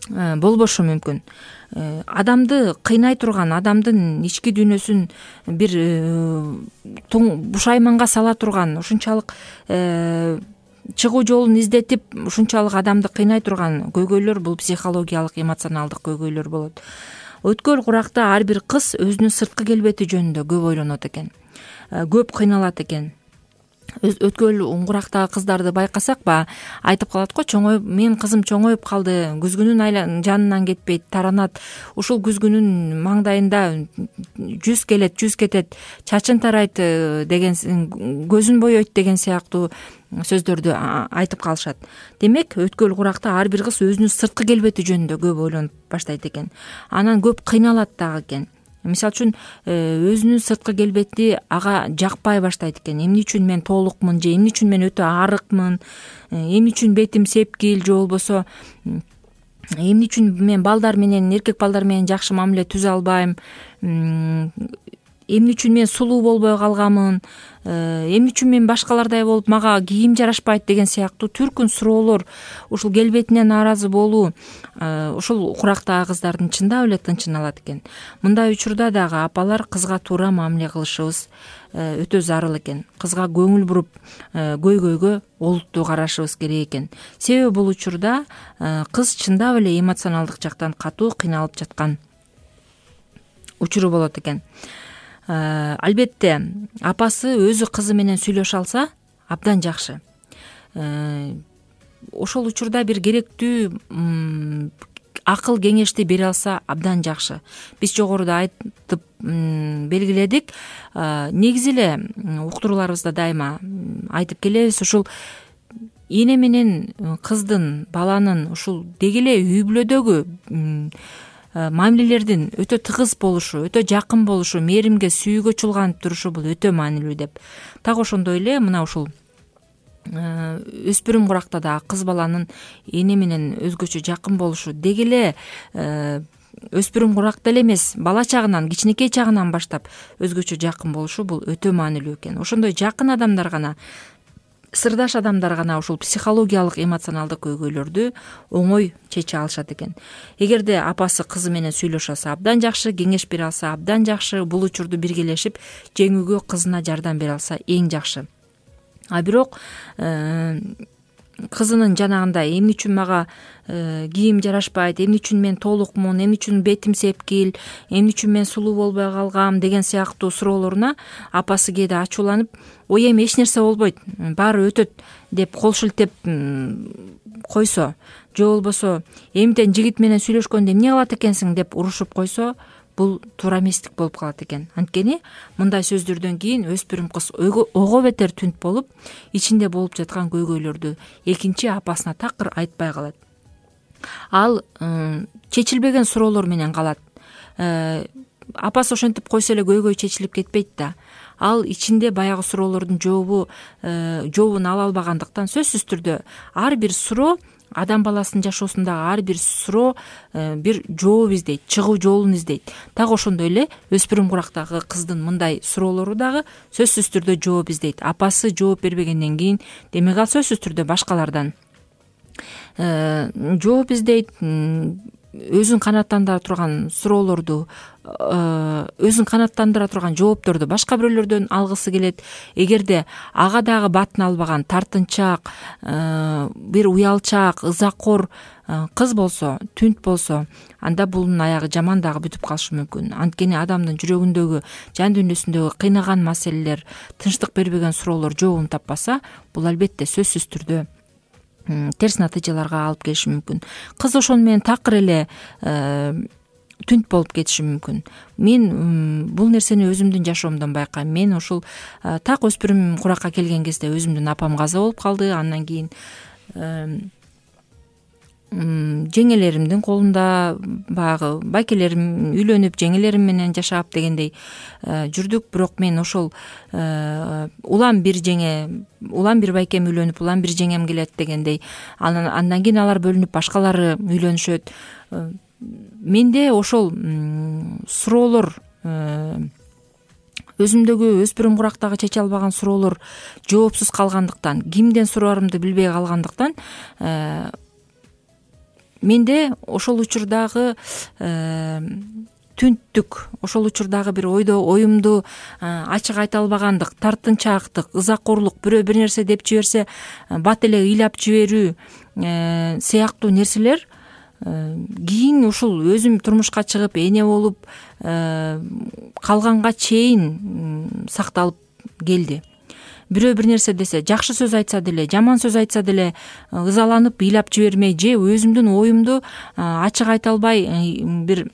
болбошу мүмкүн. Адамды кыйнай турган, адамдын ички дүйнөсүн бир бушайманга сала турган, ушунчалык чыгуу жолун издетип, ушунчалык адамды кыйнай турган көйгөйлөр бул психологиялык, эмоционалдык көйгөйлөр болот. Өткөл куракта ар бир кыз өзүнүн сырткы келбети жөнүндө көп ойлонот экен, көп кыйналат экен. Өткөл курактагы кыздарды байкасак, ба айтып калат го, чоңоюп, мен кызым чоңоюп калды, күзгүнүн жанынан кетпейт, таранат, ушул күзгүнүн маңдайында жүз келет, жүз кетет, чачын тарайт деген, көзүн бойойт деген сыяктуу сөздөрдү айтып калышат. Демек, өткөл куракта ар бир кыз өзүнүн сырткы келбети жөнүндө көп ойлонуп баштайт экен. Анан көп кыйналат дагы экен. Мисалы үчүн өзүнүн сырткы келбети ага жакпай баштайт экен. Эмне үчүн мен толукмун, же эмне үчүн мен өтө арыкмын, эмне үчүн бетим сепкил, же болбосо эмне үчүн мен балдар менен, эркек балдар менен жакшы мамиле түзө албайм, эмне үчүн мен сулуу болбой калганмын, эмне үчүн мен башкалардай болуп мага кийим жарашпайт деген сыяктуу түркүн суроолор, ушул келбетине нааразы болуу ушул курактагы кыздардын чындап эле тынчын алат экен. Мындай учурда дагы апалар кызга туура мамиле кылышыбыз өтө зарыл экен. Кызга көңүл буруп, көйгөйгө олуттуу карашыбыз керек экен. Себеби бул учурда кыз чындап эле эмоционалдык жактан катуу кыйналып жаткан учуру болот экен. Албетте, апасы өзү кызы менен сүйлөшө алса абдан жакшы. Ошол учурда бир керектүү акыл кеңешти бере алса абдан жакшы. Биз жогоруда айтып белгиледик. Негизи эле уктурууларыбызда дайыма айтып келебиз, ушул эне менен кыздын, баланын ушул деги эле үй бүлөдөгү мамилелердин өтө тыгыз болушу, өтө жакын болушу, мээримге, сүйүүгө чулганып турушу бул өтө маанилүү деп. Так ошондой эле мына ушул өспүрүм куракта да кыз баланын эне менен өзгөчө жакын болушу, деги эле өспүрүм куракта эле эмес, бала чагынан, кичинекей чагынан баштап өзгөчө жакын болушу бул өтө маанилүү экен. Ошондой жакын адамдар гана, сырдаш адамдар гана ушул психологиялык, эмоционалдык көйгөйлөрдү оңой чече алышат экен. Эгерде апасы кызы менен сүйлөшө алса абдан жакшы, кеңеш бере алса абдан жакшы, бул учурду биргелешип жеңүүгө кызына жардам бере алса эң жакшы. А бирок кызынын жанагындай эмне үчүн мага кийим жарашпайт, эмне үчүн мен толукмун, эмне үчүн бетим сепкил, эмне үчүн мен сулуу болбой калгам деген сыяктуу суроолоруна апасы кээде ачууланып, ой эми эч нерсе болбойт, баары өтөт деп кол шилтеп койсо, же болбосо эмтен жигит менен сүйлөшкөндө эмне кылат экенсиң деп урушуп койсо, бул туура эместик болуп калат экен. Анткени мындай сөздөрдөн кийин өспүрүм кыз ого бетер түнт болуп, ичинде болуп жаткан көйгөйлөрдү экинчи апасына такыр айтпай калат. ал чечилбеген суроолор менен калат. Апасы ошентип койсо эле көйгөй чечилип кетпейт да. Ал ичинде баягы суроолордун жообу жообун ала албагандыктан сөзсүз түрдө ар бир суроо, адам баласынын жашоосундагы ар бир суроо бир жооп издейт, чыгуу жолун издейт. Так ошондой эле өспүрүм курактагы кыздын мындай суроолору дагы сөзсүз түрдө жооп издейт. Апасы жооп бербегенден кийин демек ал сөзсүз түрдө башкалардан жооп издейт. Өзүн канааттандыра турган суроолорду, өзүн канааттандыра турган жоопторду башка бирөөлөрдөн алгысы келет. Эгерде ага дагы батын албаган тартынчаак, бир уялчаак, ызакор кыз болсо, түнт болсо, анда бунун аягы жаман дагы бүтүп калышы мүмкүн. Анткени адамдын жүрөгүндөгү, жан дүйнөсүндөгү кыйнаган маселелер, тынчтык бербеген суроолор жообун таппаса, бул албетте сөзсүз түрдө терс натыйжаларга алып келиши мүмкүн. Кыз ошону менен такыр эле түнт болуп кетиши мүмкүн. Мен бул нерсени өзүмдүн жашоомдон байкайм. Мен ушул так өспүрүм куракка келген кезде өзүмдүн апам каза болуп калды. Андан кийин жеңелеримдин колунда баягы байкелерим үйлөнүп, жеңелерим менен жашап дегендей жүрдүк. Бирок мен ошол улам бир жеңе, улам бир байкем үйлөнүп, улам бир жеңем келет дегендей, андан кийин алар бөлүнүп башкалары үйлөнүшөт. Менде ошол суроолор, өзүмдөгү өспүрүм курактагы чече албаган суроолор жоопсуз калгандыктан, кимден сураарымды билбей калгандыктан, менде ошол учурдагы түнттүк, ошол учурдагы бир ойдо оюмду ачык айта албагандык, тартынчаактык, ызакорлук, бирөө бир нерсе деп жиберсе бат эле ыйлап жиберүү сыяктуу нерселер кийин ушул өзүм турмушка чыгып эне болуп калганга чейин сакталып келди. Бирөө бир нерсе десе, жакшы сөз айтса деле, жаман сөз айтса деле ызаланып ыйлап жибермей, же өзүмдүн оюмду ачык айта албай бир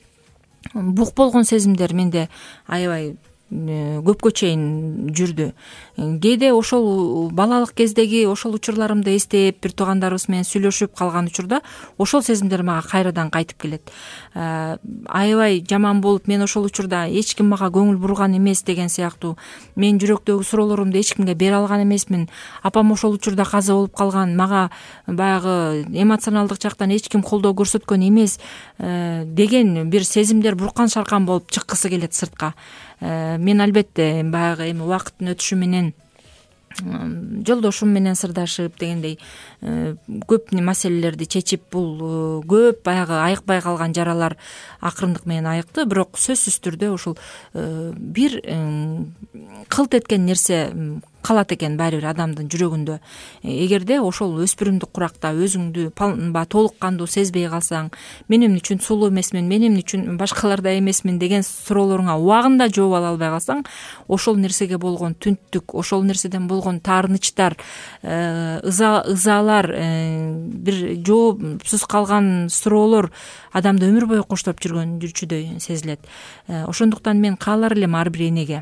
бук болгон сезимдер менде аябай көпкө чейин жүрдү. Кээде ошол балалык кездеги ошол учурларымды эстеп, бир туугандарыбыз менен сүйлөшүп калган учурда ошол сезимдер мага кайрадан кайтып келет. Аябай жаман болуп, мен ошол учурда эч ким мага көңүл бурган эмес деген сыяктуу, мен жүрөктөгү суроолорумду эч кимге бере алган эмесмин. Апам ошол учурда каза болуп калган, мага баягы эмоционалдык жактан эч ким колдоо көрсөткөн эмес деген бир сезимдер буркан шаркан болуп чыккысы келет сыртка. Мен албетте баягы эми убакыттын өтүшү менен жолдошум менен сырдашып дегендей көп маселелерди чечип, бул көп баягы айыкпай калган жаралар акырындык менен айыкты. Бирок сөзсүз түрдө ушул бир кылт эткен нерсе калат экен баары бир адамдын жүрөгүндө. Эгерде ошол өспүрүмдүк куракта өзүңдү баягы толук кандуу сезбей калсаң, мен эмне үчүн сулуу эмесмин, мен эмне үчүн башкалардай эмесмин деген суроолоруңа убагында жооп ала албай калсаң, ошол нерсеге болгон түнттүк, ошол нерседен болгон таарынычтар, ызалар, бир жоопсуз калган суроолор адамды өмүр бою коштоп жүргөн жүрчүдөй сезилет. Ошондуктан мен каалар элем ар бир энеге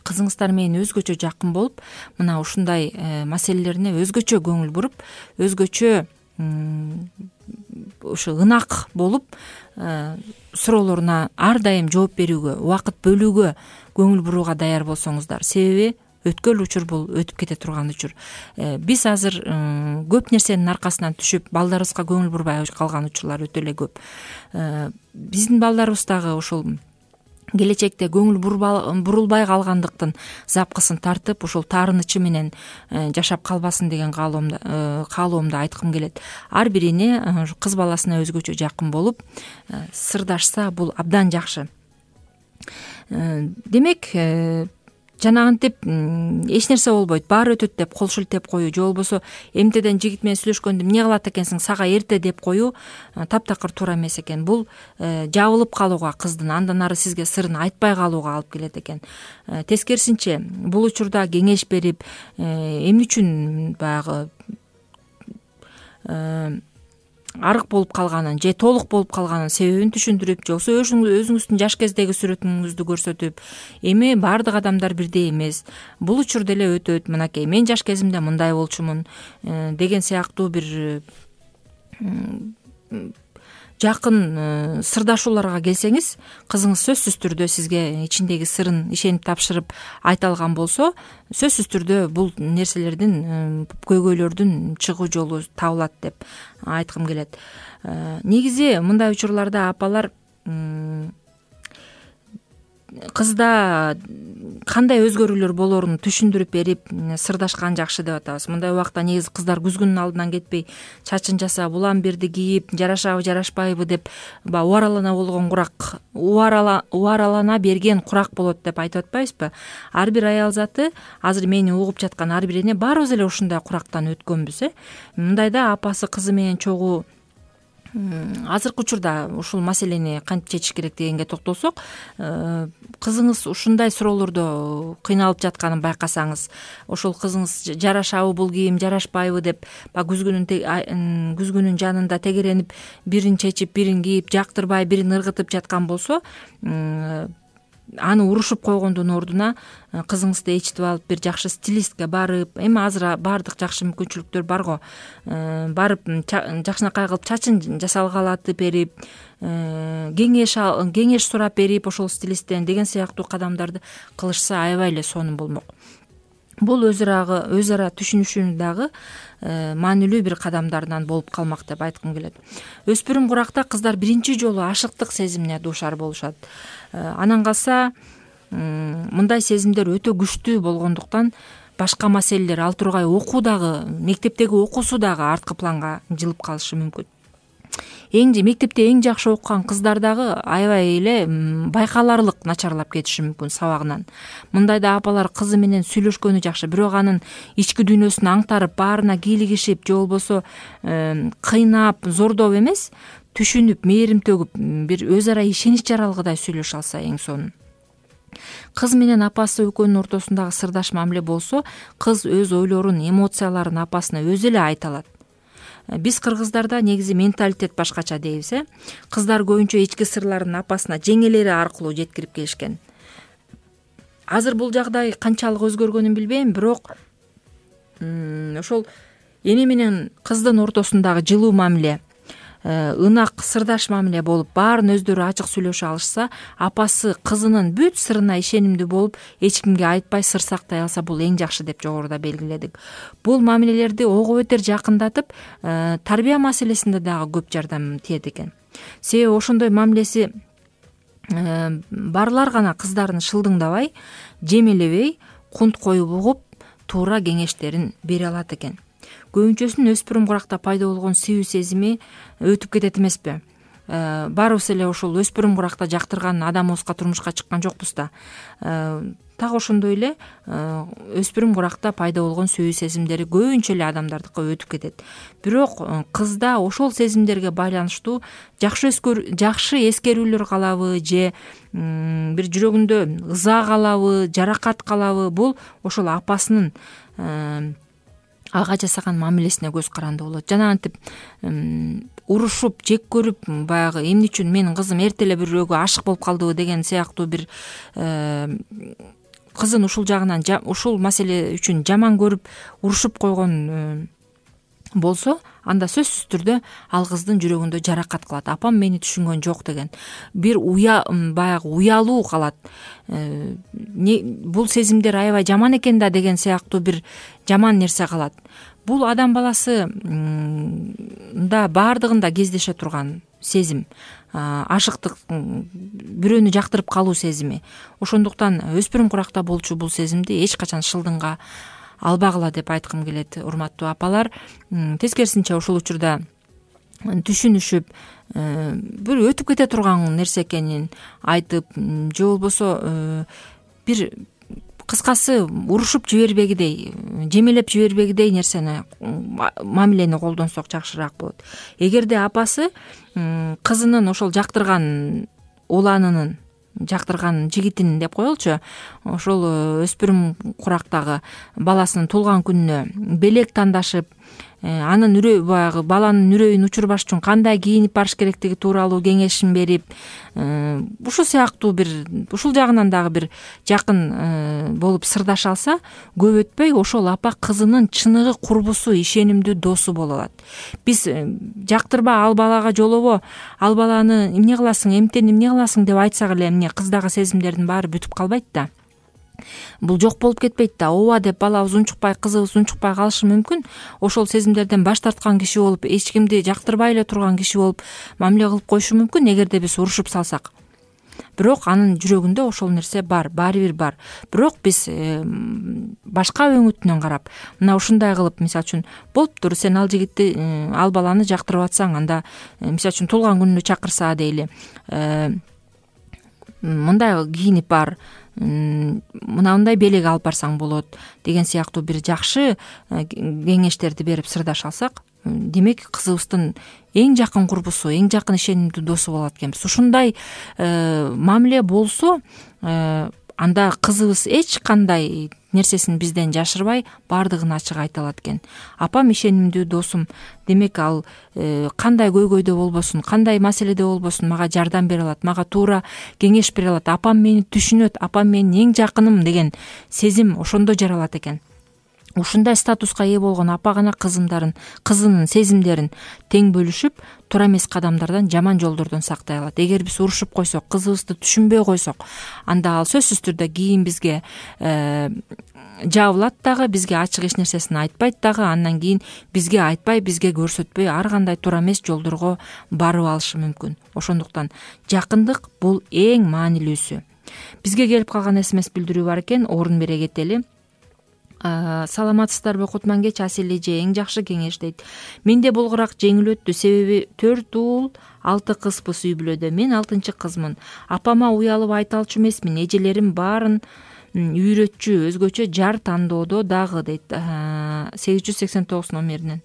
кызыңыздар менен өзгөчө жакын болуп, мына ушундай маселелерине өзгөчө көңүл буруп, өзгөчө ушу ынак болуп, суроолоруна ар дайым жооп берүүгө, убакыт бөлүүгө көңүл бурууга даяр болсоңуздар. Себеби өткөн учур бул өтүп кете турган учур. Биз азыр көп нерсенин аркасынан түшүп, балдарыбызга көңүл бурбай калган учурлар өтө эле көп. Биздин балдарыбыз дагы ушул келечекте көңүл бурулбай калгандыктын запкысын тартып, ушул таарынычы менен жашап калбасын деген каалоомду айткым келет. Ар бир эне кыз баласына өзгөчө жакын болуп, сырдашса бул абдан жакшы. Демек, жанагынтип эч нерсе болбойт, баары өтөт деп кол шилтеп коюу, же болбосо эмтеден жигит менен сүйлөшкөндө эмне кылат экенсиң, сага эрте деп коюу таптакыр туура эмес экен. Бул жабылып калууга, кыздын андан ары сизге сырын айтпай калууга алып келет экен. Тескерисинче, бул учурда кеңеш берип, эмне үчүн баягы арык болуп калганын же толук болуп калганын себебин түшүндүрүп, же болбосо өзүңүздүн жаш кездеги сүрөтүңүздү көрсөтүп, эми баардык адамдар бирдей эмес, бул учур деле өтөт, мынакей мен жаш кезимде мындай болчумун деген сыяктуу бир жакын сырдашууларга келсеңиз, кызыңыз сөзсүз түрдө сизге ичиндеги сырын ишенип тапшырып айта алган болсо, сөзсүз түрдө бул нерселердин, көйгөйлөрдүн чыгуу жолу табылат деп айткым келет. Негизи мындай учурларда апалар кызда кандай өзгөрүүлөр болоорун түшүндүрүп берип сырдашкан жакшы деп атабыз. Мындай убакта негизи кыздар күзгүнүн алдынан кетпей чачын жасап, улам-бирди кийип, жарашабы, жарашпайбы деп баягы убаралана болгон курак, убаралана берген курак болот деп айтып атпайбызбы? Ар бир аял заты, азыр мени угуп жаткан ар бир эне баарыбыз эле ушундай курактан өткөнбүз, э. Мындайда апасы кызы менен чогуу азыркы учурда ушул маселени кантип чечиш керек дегенге токтолсок, кызыңыз ушундай суроолордо кыйналып жатканын байкасаңыз, ошол кызыңыз жарашабы бул кийим, жарашпайбы деп баягы күзгүнүн күзгүнүн жанында тегеренип, бирин чечип, бирин кийип, жактырбай, бирин ыргытып жаткан болсо, аны урушуп койгондун ордуна кызыңызды ээрчитип алып, бир жакшы стилистке барып, эми азыр баардык жакшы мүмкүнчүлүктөр бар го, барып жакшынакай кылып чачын жасалгалатып берип, кеңеш кеңеш сурап берип ошол стилисттен деген сыяктуу кадамдарды кылышса аябай эле сонун болмок. Бул өз ара өз ара түшүнүшүүнүн дагы маанилүү бир кадамдарынан болуп калмак деп айткым келет. Өспүрүм куракта кыздар биринчи жолу ашыктык сезимине дуушар болушат. Анан калса мындай сезимдер өтө күчтүү болгондуктан башка маселелер, ал тургай окуу дагы, мектептеги окуусу дагы арткы планга жылып калышы мүмкүн. Эң мектепте эң жакшы окуган кыздар дагы аябай эле байкаларлык начарлап кетиши мүмкүн сабагынан. Мындайда апалар кызы менен сүйлөшкөнү жакшы, бирок анын ички дүйнөсүн аңтарып, баарына кийлигишип же болбосо кыйнап, зордоп эмес, түшүнүп, мээрим төгүп, бир өз ара ишенич жаралгыдай сүйлөшө алса эң сонун. Кыз менен апасы экөөнүн ортосундагы сырдаш мамиле болсо, кыз өз ойлорун, эмоцияларын апасына өзү эле айта алат. Биз кыргыздарда негизи менталитет башкача дейбиз, э. Кыздар көбүнчө ички сырларын апасына жеңелери аркылуу жеткирип келишкен. Азыр бул жагдай канчалык өзгөргөнүн билбейм, бирок ошол эне менен кыздын ортосундагы жылуу мамиле, ынак сырдаш мамиле болуп, баарын өздөрү ачык сүйлөшө алышса, апасы кызынын бүт сырына ишенимдүү болуп, эч кимге айтпай сыр сактай алса, бул эң жакшы деп жогоруда белгиледик. Бул мамилелерди ого бетер жакындатып, тарбия маселесинде дагы көп жардам тиет экен. Себеби ошондой мамилеси барлар гана кыздарын шылдыңдабай, жемелебей, кунт коюп угуп, туура кеңештерин бере алат экен. Көбүнчөсүнүн өспүрүм куракта пайда болгон сүйүү сезими өтүп кетет эмеспи? Баарыбыз эле ошол өспүрүм куракта жактырган адамыбызга турмушка чыккан жокпуз да. Так ошондой эле өспүрүм куракта пайда болгон сүйүү сезимдери көбүнчө эле адамдардыкы өтүп кетет. Бирок кызда ошол сезимдерге байланыштуу жакшы жакшы эскерүүлөр калабы же бир жүрөгүндө ыза калабы, жаракат калабы, бул ошол апасынын ага жасаган мамилесине көз каранды болот. Жана антип урушуп, жек көрүп, баягы эмне үчүн менин кызым эрте эле бирөөгө ашык болуп калдыбы деген сыяктуу бир кызын ушул жагынан, ушул маселе үчүн жаман көрүп, урушуп койгон болсо, анда сөзсүз түрдө ал кыздын жүрөгүндө жаракат калат. Апам мени түшүнгөн жок деген бир уя баягы уялуу калат. Бул сезимдер аябай жаман экен да деген сыяктуу бир жаман нерсе калат. Бул адам баласы да баардыгында кездеше турган сезим, ашыктык, бирөөнү жактырып калуу сезими. Ошондуктан өспүрүм куракта болчу бул сезимди эч качан шылдыңга албагыла деп айткым келет, урматтуу апалар. Тескерисинче ошол учурда түшүнүшүп, бир өтүп кете турган нерсе экенин айтып, же болбосо бир кыскасы урушуп жибербегидей, жемелеп жибербегидей нерсени, мамилени колдонсок жакшыраак болот. Эгерде апасы кызынын ошол жактырган уланынын, жактырган жигитин деп коелучу, ошол өспүрүм курактагы баласынын туулган күнүнө белек тандашып, анын үрөй баягы баланын үрөйүн учурбаш үчүн кандай кийинип барыш керектиги тууралуу кеңешин берип, ушул сыяктуу бир ушул жагынан дагы бир жакын болуп сырдаша алса, көп өтпөй ошол апа кызынын чыныгы курбусу, ишенимдүү досу боло алат. Биз жактырба ал балага жолобо, ал баланы эмне кыласың, эмтен эмне кыласың деп айтсак эле, эмне кыздагы сезимдердин баары бүтүп калбайт да. Бул жок болуп кетпейт да. Ооба деп балабыз унчукпай, кызыбыз унчукпай калышы мүмкүн. Ошол сезимдерден баш тарткан киши болуп, эч кимди жактырбай эле турган киши болуп мамиле кылып коюшу мүмкүн, эгерде биз урушуп салсак. Бирок анын жүрөгүндө ошол нерсе бар, баары бир бар. Бирок биз башка өңүтүнөн карап, мына ушундай кылып, мисалы үчүн, болуптур, сен ал жигитти, ал баланы жактырып атсаң, анда мисалы үчүн туулган күнүнө чакырса дейли, мындай кийинип бар, мындай белек алып барсаң болот деген сыяктуу бир жакшы кеңештерди берип сырдаша алсак, демек кызыбыздын эң жакын курбусу, эң жакын ишенимдүү досу болот экенбиз. Ушундай мамиле болсо, анда кызыбыз эч кандай нерсесин бизден жашырбай баардыгын ачык айта алат экен. Апам ишенимдүү досум, демек ал кандай көйгөйдө болбосун, кандай маселеде болбосун мага жардам бере алат, мага туура кеңеш бере алат, апам мени түшүнөт, апам менин эң жакыным деген сезим ошондо жаралат экен. Ушундай статуска ээ болгон апа гана кызымдарын, кызынын сезимдерин тең бөлүшүп, туура эмес кадамдардан, жаман жолдордон сактай алат. Эгер биз урушуп койсок, кызыбызды түшүнбөй койсок, анда ал сөзсүз түрдө кийин бизге жабылат дагы, бизге ачык эч нерсесин айтпайт дагы, андан кийин бизге айтпай, бизге көрсөтпөй ар кандай туура эмес жолдорго барып алышы мүмкүн. Ошондуктан жакындык бул эң маанилүүсү. Бизге келип калган смс билдирүү бар экен, орун бере кетели. Саламатсыздарбы Кутман кеч, Асел эже, эң жакшы кеңеш дейт. Менде болгурак жеңил өттү, себеби төрт уул, алты кызбыз үй бүлөдө. Мен алтынчы кызмын. Апама уялып айта алчу эмесмин. Эжелерим баарын үйрөтчү, өзгөчө жар тандоодо дагы дейт. сегиз жүз сексен тогуз номеринен.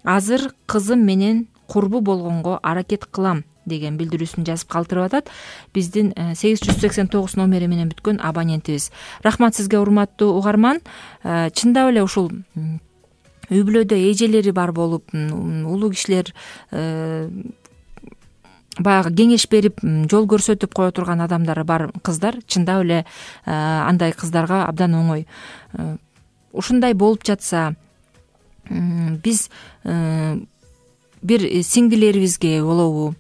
Азыр кызым менен курбу болгонго аракет кылам деген билдирүүсүн жазып калтырып атат биздин сегиз жүз сексен тогуз номери менен бүткөн абонентибиз. Рахмат сизге, урматтуу угарман. Чындап эле ушул үй бүлөдө эжелери бар болуп, улуу кишилер баягы кеңеш берип, жол көрсөтүп кое турган адамдары бар кыздар, чындап эле андай кыздарга абдан оңой. Ушундай болуп жатса, биз бир сиңдилерибизге болобу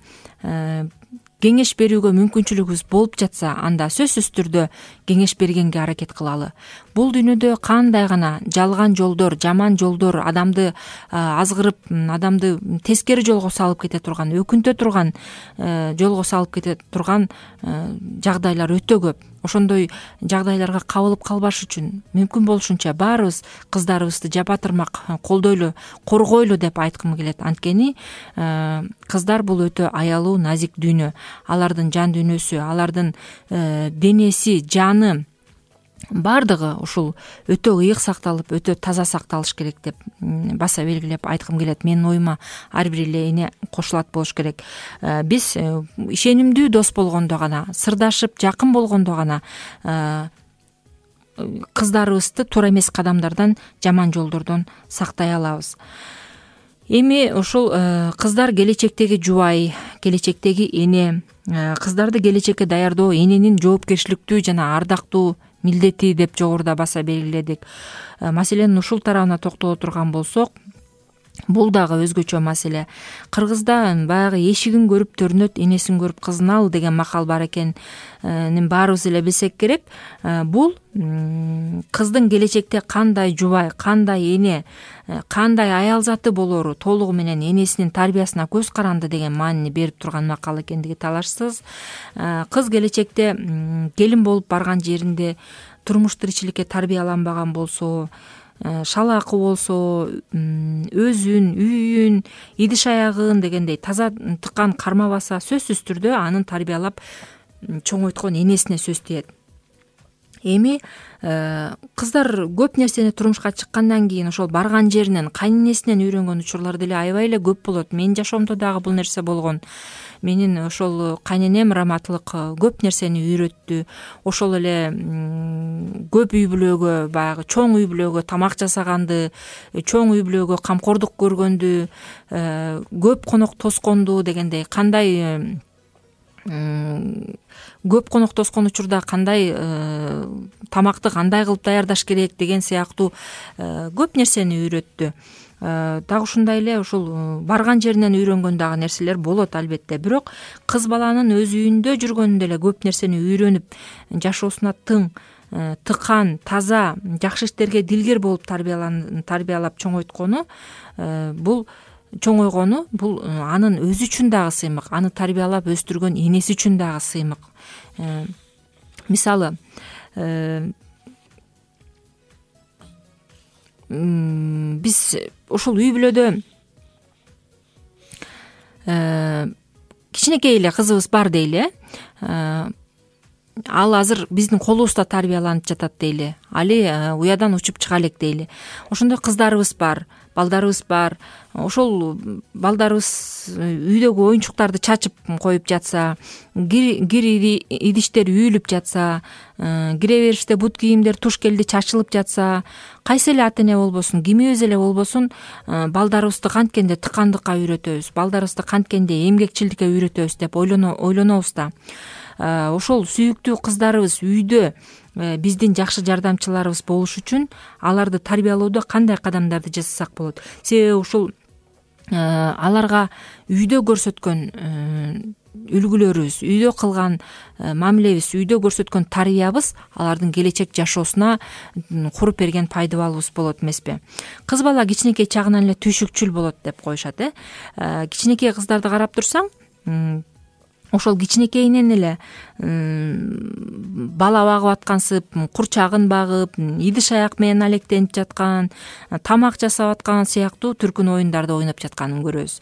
кеңеш берүүгө мүмкүнчүлүгүбүз болуп жатса, анда сөзсүз түрдө кеңеш бергенге аракет кылалы. Бул дүйнөдө кандай гана жалган жолдор, жаман жолдор, адамды азгырып, адамды тескери жолго салып кете турган, өкүнтө турган жолго салып кете турган жагдайлар өтө көп. Ошондой жагдайларга кабылып калбаш үчүн мүмкүн болушунча баарыбыз кыздарыбызды жапатырмак колдойлу, коргойлу деп айткым келет. Анткени кыздар бул өтө аялуу, назик дүйнө. Алардын жан дүйнөсү, алардын денеси, жаны баардыгы ушул өтө ыйык сакталып, өтө таза сакталыш керек деп баса белгилеп айткым келет. Менин оюма ар бир эле эне кошулат болуш керек. Биз ишенимдүү дос болгондо гана, сырдашып, жакын болгондо гана кыздарыбызды туура эмес кадамдардан, жаман жолдордон сактай алабыз. Эми ушул кыздар келечектеги жубай, келечектеги эне, кыздарды келечекке даярдоо эненин жоопкерчиликтүү жана ардактуу милдети деп жогоруда баса белгиледик. Маселенин ушул тарабына токтоло турган болсок, бул дагы өзгөчө маселе. Кыргызда баягы эшигин көрүп төрүнөт, энесин көрүп кызын ал деген макал бар экен. Баарыбыз эле билсек керек. Бул кыздын келечекте кандай жубай, кандай эне, кандай аял заты болору толугу менен энесинин тарбиясына көз каранды деген маанини берип турган макал экендиги талашсыз. Кыз келечекте келин болуп барган жеринде турмуш тиричиликке тарбияланбаган болсо, шалаакы болсо, өзүн, үйүн, идиш аягын дегендей таза тыккан кармабаса, сөзсүз түрдө анын тарбиялап чоңойткон энесине сөз тиет. Эми кыздар көп нерсени турмушка чыккандан кийин ошол барган жеринен, кайненесинен үйрөнгөн учурлар деле аябай эле көп болот. Менин жашоомдо дагы бул нерсе болгон. Менин ошол кайненем раматылык көп нерсени үйрөттү. Ошол эле көп үй бүлөгө, баягы чоң үй бүлөгө тамак жасаганды, чоң үй бүлөгө камкордук көргөндү, көп конок тосконду дегендей, кандай көп конок тоскон учурда кандай тамакты кандай кылып даярдаш керек деген сыяктуу көп нерсени үйрөттү. Дагы ушундай эле ушул барган жеринен үйрөнгөн дагы нерселер болот албетте. Бирок кыз баланын өз үйүндө жүргөндө эле көп нерсени үйрөнүп, жашоосуна тың, тыкан, таза, жакшы иштерге дилгер болуп тарбиялап чоңойткону, бул чоңойгону бул анын өзү үчүн дагы сыймык, аны тарбиялап өстүргөн энеси үчүн дагы сыймык. Мисалы, биз ушул үй бүлөдө кичинекей эле кызыбыз бар дейли. Ал азыр биздин колубузда тарбияланып жатат дейли. Али уядан учуп чыга элек дейли. Ошондой кыздарыбыз бар, балдарыбыз бар. Ошол балдарыбыз үйдөгү оюнчуктарды чачып коюп жатса, кир идиштер үйүлүп жатса, кире бериште бут кийимдер, туш келди чачылып жатса, кайсы эле ата эне болбосун, кимибиз эле болбосун, балдарыбызды канткенде тыкандыкка үйрөтөбүз, балдарыбызды канткенде эмгекчилдикке үйрөтөбүз деп ойлонобуз да. Ошол сүйүктүү кыздарыбыз үйдө биздин жакшы жардамчыларыбыз болуш үчүн аларды тарбиялоодо кандай кадамдарды жасасак болот? Себеби ушул аларга үйдө көрсөткөн үлгүлөрүбүз, үйдө кылган мамилебиз, үйдө көрсөткөн тарбиябыз алардын келечек жашоосуна куруп берген пайдабалыбыз болот эмеспи? Кыз бала кичинекей чагынан эле түйшүкчүл болот деп коюшат, э. Кичинекей кыздарды карап турсаң, ошол кичинекейинен эле бала багып аткансып, курчагын багып, идиш аяк менен алектенип жаткан, тамак жасап аткан сыяктуу түркүн оюндарды ойноп жатканын көрөбүз.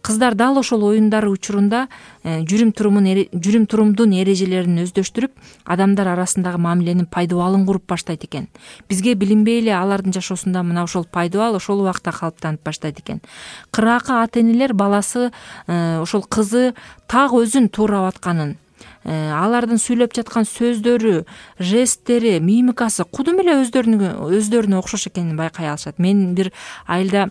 Кыздар дал ошол оюндар учурунда жүрүм турумун жүрүм турумдун эрежелерин өздөштүрүп, адамдар арасындагы мамиленин пайдабалын куруп баштайт экен. Бизге билинбей эле алардын жашоосунда мына ошол пайдабал ошол убакта калыптанып баштайт экен. Кыраакы ата энелер баласы, ошол кызы так өзүн туурап атканын, алардын сүйлөп жаткан сөздөрү, жесттери, мимикасы кудум эле өздөрүнө өздөрүнө окшош экенин байкай алышат. Мен бир айылда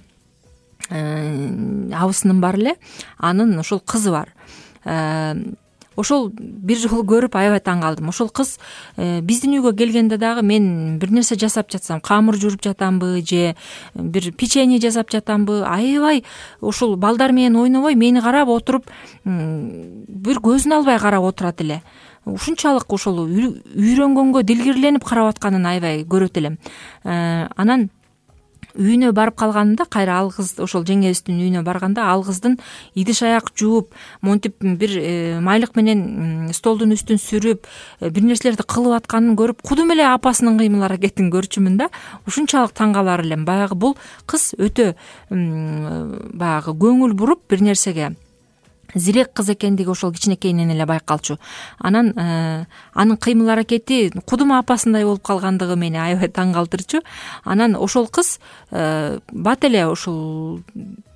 абысыным бар эле, анын ошол кызы бар. Ошол бир жолу көрүп аябай таң калдым. Ошол кыз биздин үйгө келгенде дагы мен бир нерсе жасап жатсам, камыр жууруп жатамбы же бир печенье жасап жатамбы, аябай ошол балдар менен ойнобой мени карап отуруп, бир көзүн албай карап отурат эле. Ушунчалык ошол үйрөнгөнгө дилгирленип карап атканын аябай көрөт элем. Анан үйүнө барып калганымда, кайра ал кыз ошол жеңебиздин үйүнө барганда, ал кыздын идиш аяк жууп, монтип бир майлык менен столдун үстүн сүрүп, бир нерселерди кылып атканын көрүп, кудум эле апасынын кыймыл аракетин көрчүмүн да. Ушунчалык таң калар элем. Баягы бул кыз өтө баягы көңүл буруп бир нерсеге зирек кыз экендиги ошол кичинекейинен эле байкалчу. Анан анын кыймыл аракети кудум апасындай болуп калгандыгы мени аябай таң калтырчу. Анан ошол кыз бат эле ошол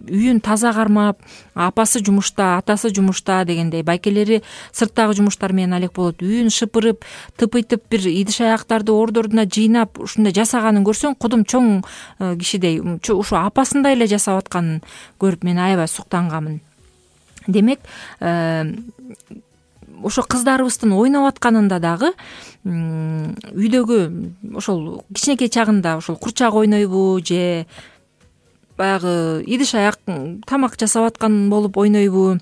үйүн таза кармап, апасы жумушта, атасы жумушта дегендей, байкелери сырттагы жумуштар менен алек болот. Үйүн шыпырып, тыпыйтып, бир идиш аяктарды ордордуна жыйнап, ушундай жасаганын көрсөң, кудум чоң кишидей, ушу апасындай эле жасап атканын көрүп мен аябай суктангамын. Демек, ошо кыздарыбыздын ойноп атканында дагы үйдөгү ошол кичинекей чагында ошол курчак ойнойбу же баягы идиш аяк тамак жасап аткан болуп ойнойбу,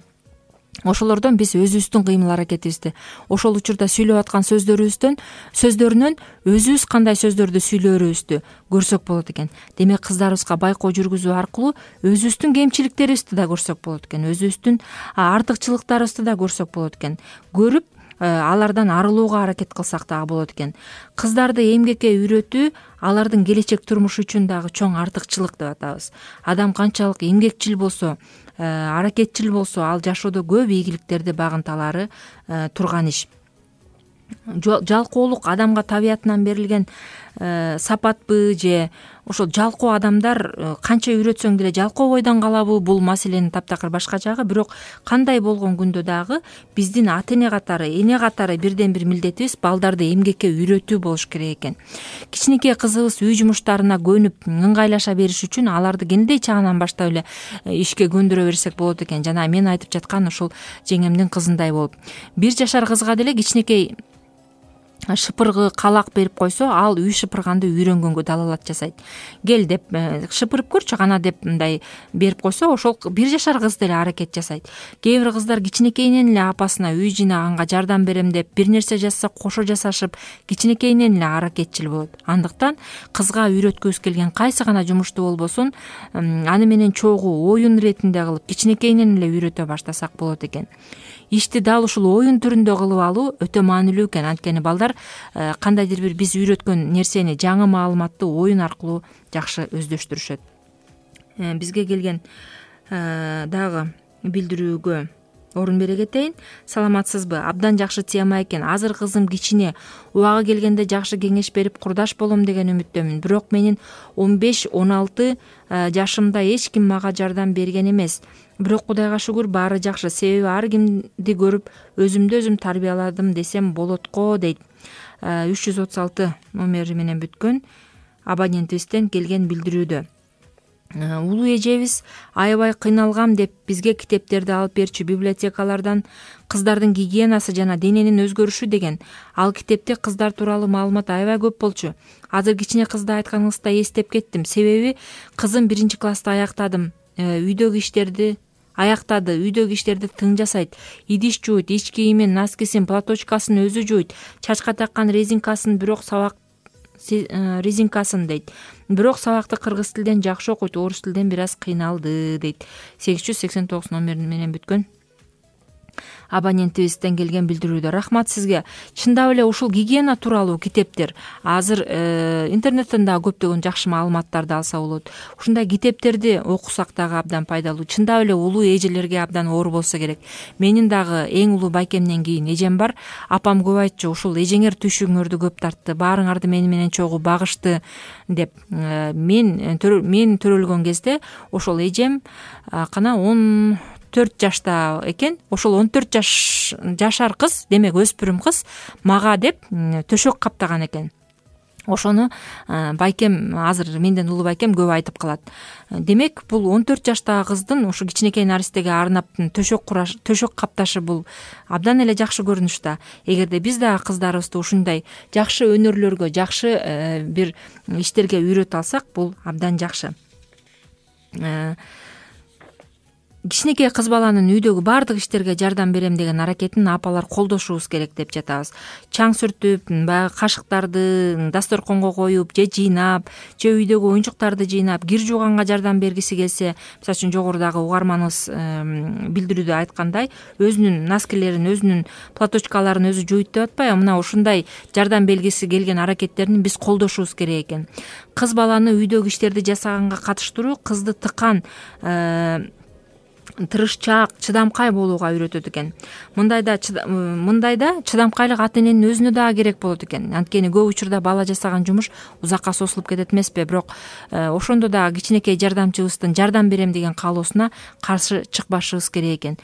ошолордон биз өзүбүздүн кыймыл аракетибизди, ошол учурда сүйлөп аткан сөздөрүбүздөн сөздөрүнөн өзүбүз кандай сөздөрдү сүйлөөрүбүздү көрсөк болот экен. Демек, кыздарыбызга байкоо жүргүзүү аркылуу өзүбүздүн кемчиликтерибизди да көрсөк болот экен, өзүбүздүн артыкчылыктарыбызды да көрсөк болот экен. Көрүп, алардан арылууга аракет кылсак дагы болот экен. Кыздарды эмгекке үйрөтүү алардын келечек турмушу үчүн дагы чоң артыкчылык деп атабыз. Адам канчалык эмгекчил болсо, аракетчил болсо, ал жашоодо көп ийгиликтерди багынталары турган иш. Жалкоолук адамга табиятынан берилген сапатпы же ошол жалкоо адамдар канча үйрөтсөң деле жалкоо бойдон калабы, бул маселенин таптакыр башка жагы. Бирок кандай болгон күндө дагы биздин ата эне катары, эне катары бирден бир милдетибиз балдарды эмгекке үйрөтүү болуш керек экен. Кичинекей кызыбыз үй жумуштарына көнүп ыңгайлаша бериш үчүн аларды кенедей чагынан баштап эле ишке көндүрө берсек болот экен. Жана мен айтып жаткан ушул жеңемдин кызындай болуп, бир жашар кызга деле кичинекей шыпыргы калак берип койсо, ал үй шыпырганды үйрөнгөнгө далалат жасайт. Кел деп шыпырып көрчү кана деп мындай берип койсо, ошол бир жашар кыз деле аракет жасайт. Кээ бир кыздар кичинекейинен эле апасына үй жыйнаганга жардам берем деп бир нерсе жасаса кошо жасашып, кичинекейинен эле аракетчил болот. Андыктан кызга үйрөткүбүз келген кайсы гана жумушту болбосун, аны менен чогуу оюн иретинде кылып, кичинекейинен эле үйрөтө баштасак болот экен. Ишти дал ушул оюн түрүндө кылып алуу өтө маанилүү экен. Анткени балдар кандайдыр бир биз үйрөткөн нерсени, жаңы маалыматты оюн аркылуу жакшы өздөштүрүшөт. Бизге келген дагы билдирүүгө орун бере кетейин. Саламатсызбы? Абдан жакшы тема экен. Азыр кызым кичине, убагы келгенде жакшы кеңеш берип курдаш болом деген үмүттөмүн. Бирок менин он беш он алты жашымда эч ким мага жардам берген эмес. Бирок Кудайга шүгүр баары жакшы. Себеби ар кимди көрүп өзүмдү өзүм тарбияладым десем болот го, дейт. үч жүз отуз алты номери менен бүткөн абонентибизден келген билдирүүдө. Улуу эжебиз аябай кыйналгам деп бизге китептерди алып берчү. Библиотекалардан кыздардын гигиенасы жана дененин өзгөрүшү деген ал китепте кыздар тууралуу маалымат аябай көп болчу. Азыр кичине кызды айтканыңызда эстеп кеттим. Себеби кызым биринчи класста аяктадым. Үйдөгү иштерди аяктады. Үйдөгү иштерди тың жасайт. Идиш жууйт, ич кийимин, носкисин, платочкасын өзү жууйт. Чачка таккан резинкасын, бирок сабак резинкасын дейт. Бирок сабакты кыргыз тилден жакшы окуйт, орус тилден бир аз кыйналды, дейт. сегиз жүз сексен тогуз номери менен бүткөн абонентибизден келген билдирүүдө. Рахмат сизге. Чындап эле ушул гигиена тууралуу китептер азыр интернеттен дагы көптөгөн жакшы маалыматтарды алса болот. Ушундай китептерди окусак дагы абдан пайдалуу. Чындап эле улуу эжелерге абдан оор болсо керек. Менин дагы эң улуу байкемден кийин эжем бар. Апам көп айтчу, ушул эжеңер түйшүгүңөрдү көп тартты, баарыңарды мени менен чогуу багышты деп. Мен мен төрөлгөн кезде ошол эжем кана он төрт жашта экен. Ошол он төрт жаш жашар кыз, демек өспүрүм кыз мага деп төшөк каптаган экен. Ошону байкем, азыр менден улуу байкем көп айтып калат. Демек бул он төрт жаштагы кыздын ушу кичинекей наристеге арнап төшөк кураш, төшөк капташы бул абдан эле жакшы көрүнүш да. Эгерде биз дагы кыздарыбызды ушундай жакшы өнөрлөргө, жакшы бир иштерге үйрөтө алсак, бул абдан жакшы. Кичинекей кыз баланын үйдөгү баардык иштерге жардам берем деген аракетин апалар колдошубуз керек деп жатабыз. Чаң сүртүп, баягы кашыктарды дасторконго коюп, же жыйнап, же үйдөгү оюнчуктарды жыйнап, кир жууганга жардам бергиси келсе, мисалы үчүн жогорудагы угарманыбыз билдирүүдө айткандай, өзүнүн носкилерин, өзүнүн платочкаларын өзү жууйт деп атпайбы? Мына ушундай жардам бергиси келген аракеттерин биз колдошубуз керек экен. Кыз баланы үйдөгү иштерди жасаганга катыштыруу кызды тыкан, тырышчаак, чыдамкай болууга үйрөтөт экен. Мындайда мындайда чыдамкайлык ата эненин өзүнө дагы керек болот экен. Анткени көп учурда бала жасаган жумуш узакка созулуп кетет эмеспи? Бирок ошондо дагы кичинекей жардамчыбыздын жардам берем деген каалоосуна каршы чыкпашыбыз керек экен.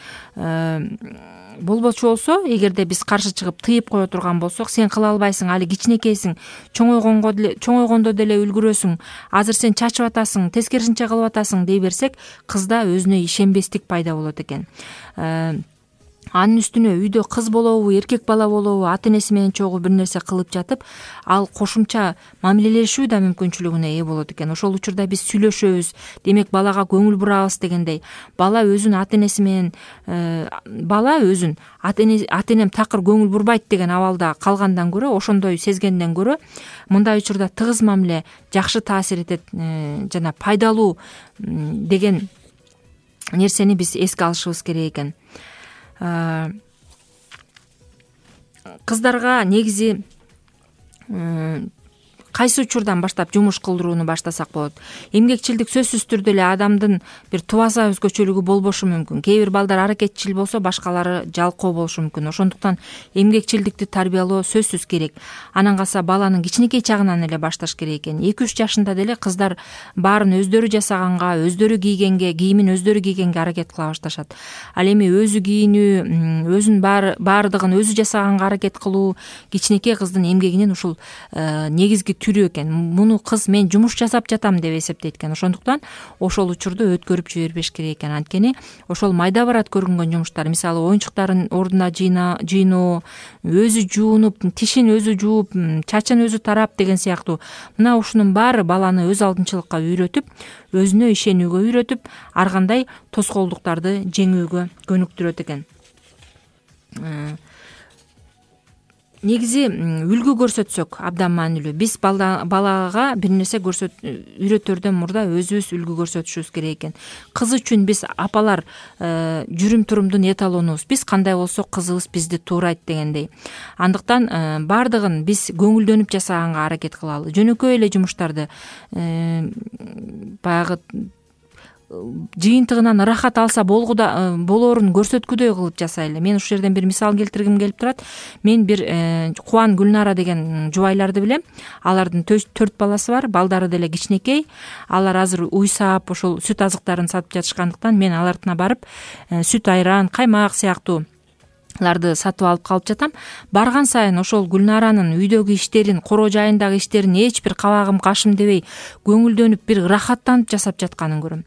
Болбочу болсо, эгерде биз каршы чыгып тыйып кое турган болсок, сен кыла албайсың, али кичинекейсиң, чоңойгонго деле чоңойгондо деле үлгүрөсүң, азыр сен чачып атасың, тескерисинче кылып атасың дей берсек, кызда өзүнө ишенбестик пайда болот экен. Анын үстүнө үйдө кыз болобу, эркек бала болобу, ата энеси менен чогуу бир нерсе кылып жатып, ал кошумча мамилелешүү да мүмкүнчүлүгүнө ээ болот экен. Ошол учурда биз сүйлөшөбүз, демек балага көңүл бурабыз дегендей. Бала өзүн ата энеси менен бала өзүн ата энем такыр көңүл бурбайт деген абалда калгандан көрө, ошондой сезгенден көрө, мындай учурда тыгыз мамиле жакшы таасир этет жана пайдалуу деген нерсени биз эске алышыбыз керек экен. Кыздарга негизи кайсы учурдан баштап жумуш кылдырууну баштасак болот? Эмгекчилдик сөзсүз түрдө эле адамдын бир тубаса өзгөчөлүгү болбошу мүмкүн. Кээ бир балдар аракетчил болсо, башкалары жалкоо болушу мүмкүн. Ошондуктан эмгекчилдикти тарбиялоо сөзсүз керек. Анан калса баланын кичинекей чагынан эле башташ керек экен. эки үч жашында деле кыздар баарын өздөрү жасаганга, өздөрү кийгенге, кийимин өздөрү кийгенге аракет кыла башташат. Ал эми өзү кийинүү, өзүн баардыгын өзү жасаганга аракет кылуу кичинекей кыздын эмгегинин ушул негизги түрү экен. Муну кыз мен жумуш жасап жатам деп эсептейт экен. Ошондуктан ошол учурду өткөрүп жибербеш керек экен. Анткени ошол майда барат көрүнгөн жумуштар, мисалы оюнчуктарын ордуна жыйноо, өзү жуунуп, тишин өзү жууп, чачын өзү тарап деген сыяктуу мына ушунун баары баланы өз алдынчылыкка үйрөтүп, өзүнө ишенүүгө үйрөтүп, ар кандай тоскоолдуктарды жеңүүгө көнүктүрөт экен. Негизи үлгү көрсөтсөк абдан маанилүү. Биз балага бир нерсе көрсөт үйрөтөрдөн мурда өзүбүз үлгү көрсөтүшүбүз керек экен. Кыз үчүн биз апалар жүрүм турумдун эталонубуз. Биз кандай болсок кызыбыз бизди туурайт дегендей. Андыктан баардыгын биз көңүлдөнүп жасаганга аракет кылалы. Жөнөкөй эле жумуштарды баягы жыйынтыгынан ырахат алса болгуда болоорун көрсөткүдөй кылып жасайлы. Мен ушул жерден бир мисал келтиргим келип турат. Мен бир Кубан, Гүлнара деген жубайларды билем. Алардын төрт баласы бар, балдары деле кичинекей. Алар азыр уйсап, ошол сүт азыктарын сатып жатышкандыктан мен алардына барып сүт айран, каймак сыяктуу ларды сатып алып калып жатам. Барган сайын ошол Гүлнаранын үйдөгү иштерин, коро жайындагы иштерин эч бир кабагым кашым дебей көңүлдөнүп, бир ырахаттанып жасап жатканын көрөм.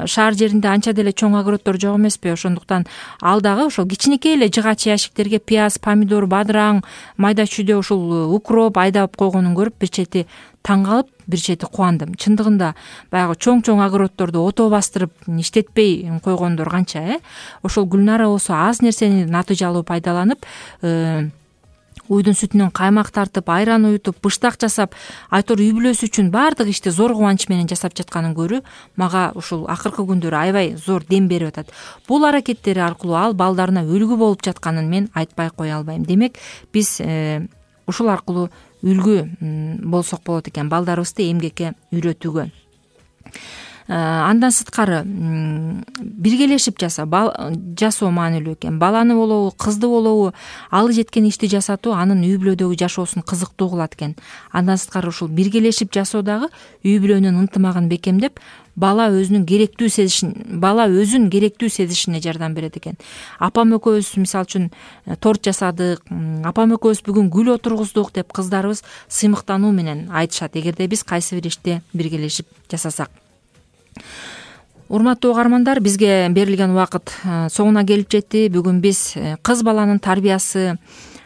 Шаар жеринде анча деле чоң огороддор жок эмеспи? Ошондуктан ал дагы ошол кичинекей эле жыгач ящиктерге пияз, помидор, бадыраң, майда чүйдө ушул укроп айдап койгонун көрүп бир чети таң калып, бир чети кубандым. Чындыгында баягы чоң-чоң огороддорду ото бастырып иштетпей койгондор канча, э? Ошол Гүлнара болсо аз нерсени натыйжалуу пайдаланып, уйдун сүтүнөн каймак тартып, айран уютуп, быштак жасап, айтор үй бүлөсү үчүн баардык ишти зор кубанч менен жасап жатканын көрүү мага ушул акыркы күндөрү аябай зор дем берип атат. Бул аракеттери аркылуу ал балдарына үлгү болуп жатканын мен айтпай кое албайм. Демек, биз ушул аркылуу үлгү болсок болот экен балдарыбызды эмгекке үйрөтүүгө. Андан сырткары биргелешип жаса, жасоо маанилүү экен. Баланы болобу, кызды болобу, алы жеткен ишти жасатуу анын үй бүлөдөгү жашоосун кызыктуу кылат экен. Андан сырткары ушул биргелешип жасоо дагы үй бүлөнүн ынтымагын бекемдеп, бала өзүнүн керектүү сезишин, бала өзүн керектүү сезишине жардам берет экен. Апам экөөбүз мисалы үчүн торт жасадык, апам экөөбүз бүгүн гүл отургуздук деп кыздарыбыз сыймыктануу менен айтышат, эгерде биз кайсы бир ишти биргелешип жасасак. Урматтуу угармандар, бизге берилген убакыт соңуна келип жетти. Бүгүн биз кыз баланын тарбиясы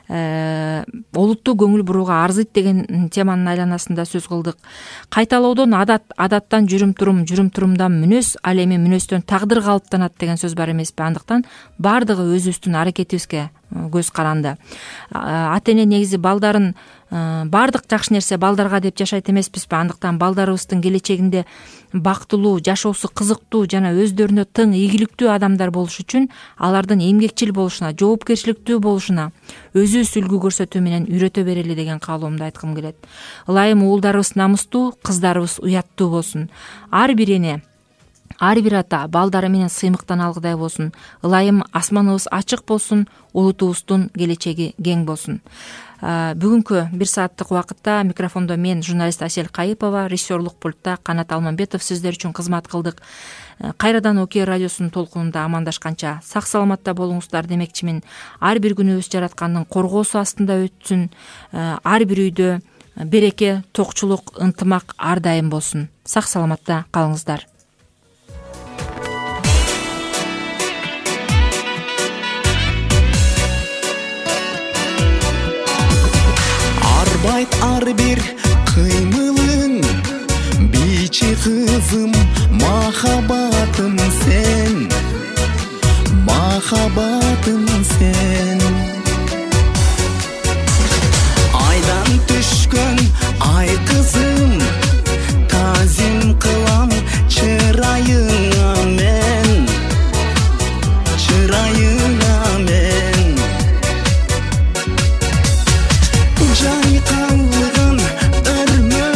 олуттуу көңүл бурууга арзыйт деген теманын айланасында сөз кылдык. Кайталоодон адат, адаттан жүрүм турум, жүрүм турумдан мүнөз, ал эми мүнөздөн тагдыр калыптанат деген сөз бар эмеспи? Андыктан баардыгы өзүбүздүн аракетибизге көз каранды. Ата эне негизи балдарын баардык жакшы нерсе балдарга деп жашайт эмеспизби? Андыктан балдарыбыздын келечегинде бактылуу, жашоосу кызыктуу жана өздөрүнө тың, ийгиликтүү адамдар болуш үчүн алардын эмгекчил болушуна, жоопкерчиликтүү болушуна өзүбүз үлгү көрсөтүү менен үйрөтө берели деген каалоомду айткым келет. Ылайым уулдарыбыз намыстуу, кыздарыбыз уяттуу болсун. Ар бир эне, ар бир ата балдары менен сыймыктан алгыдай болсун. Ылайым асманыбыз ачык болсун, улутубуздун келечеги кең болсун. Бүгүнкү бир сааттык убакытта микрофондо мен, журналист Асель Кайыпова, режиссерлук пультта Канат Алмамбетов сиздер үчүн кызмат кылдык. Кайрадан Окей радиосунун толкунунда амандашканча сак саламатта болуңуздар демекчимин. Ар бир күнүбүз жараткандын коргоосу астында өтсүн. Ар бир үйдө береке, токчулук, ынтымак ар дайым болсун. Сак саламатта калыңыздар. Ар бир кыймылың бичи кызым, махаббатым сен, махаббатым сен. Айдан түшкөн ай кызым, тазим кылам чырайыңа мен, чырайыңа мен. Жайкалган өрмө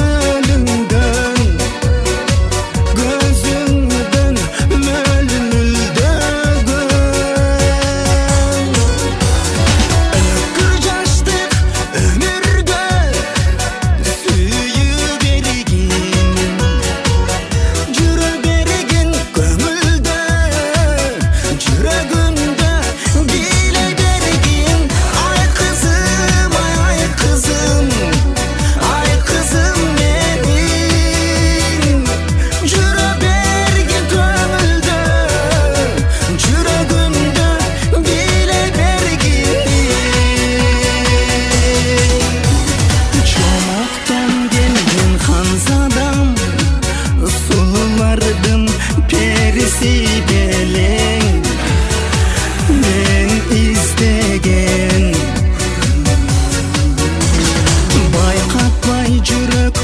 жүрөк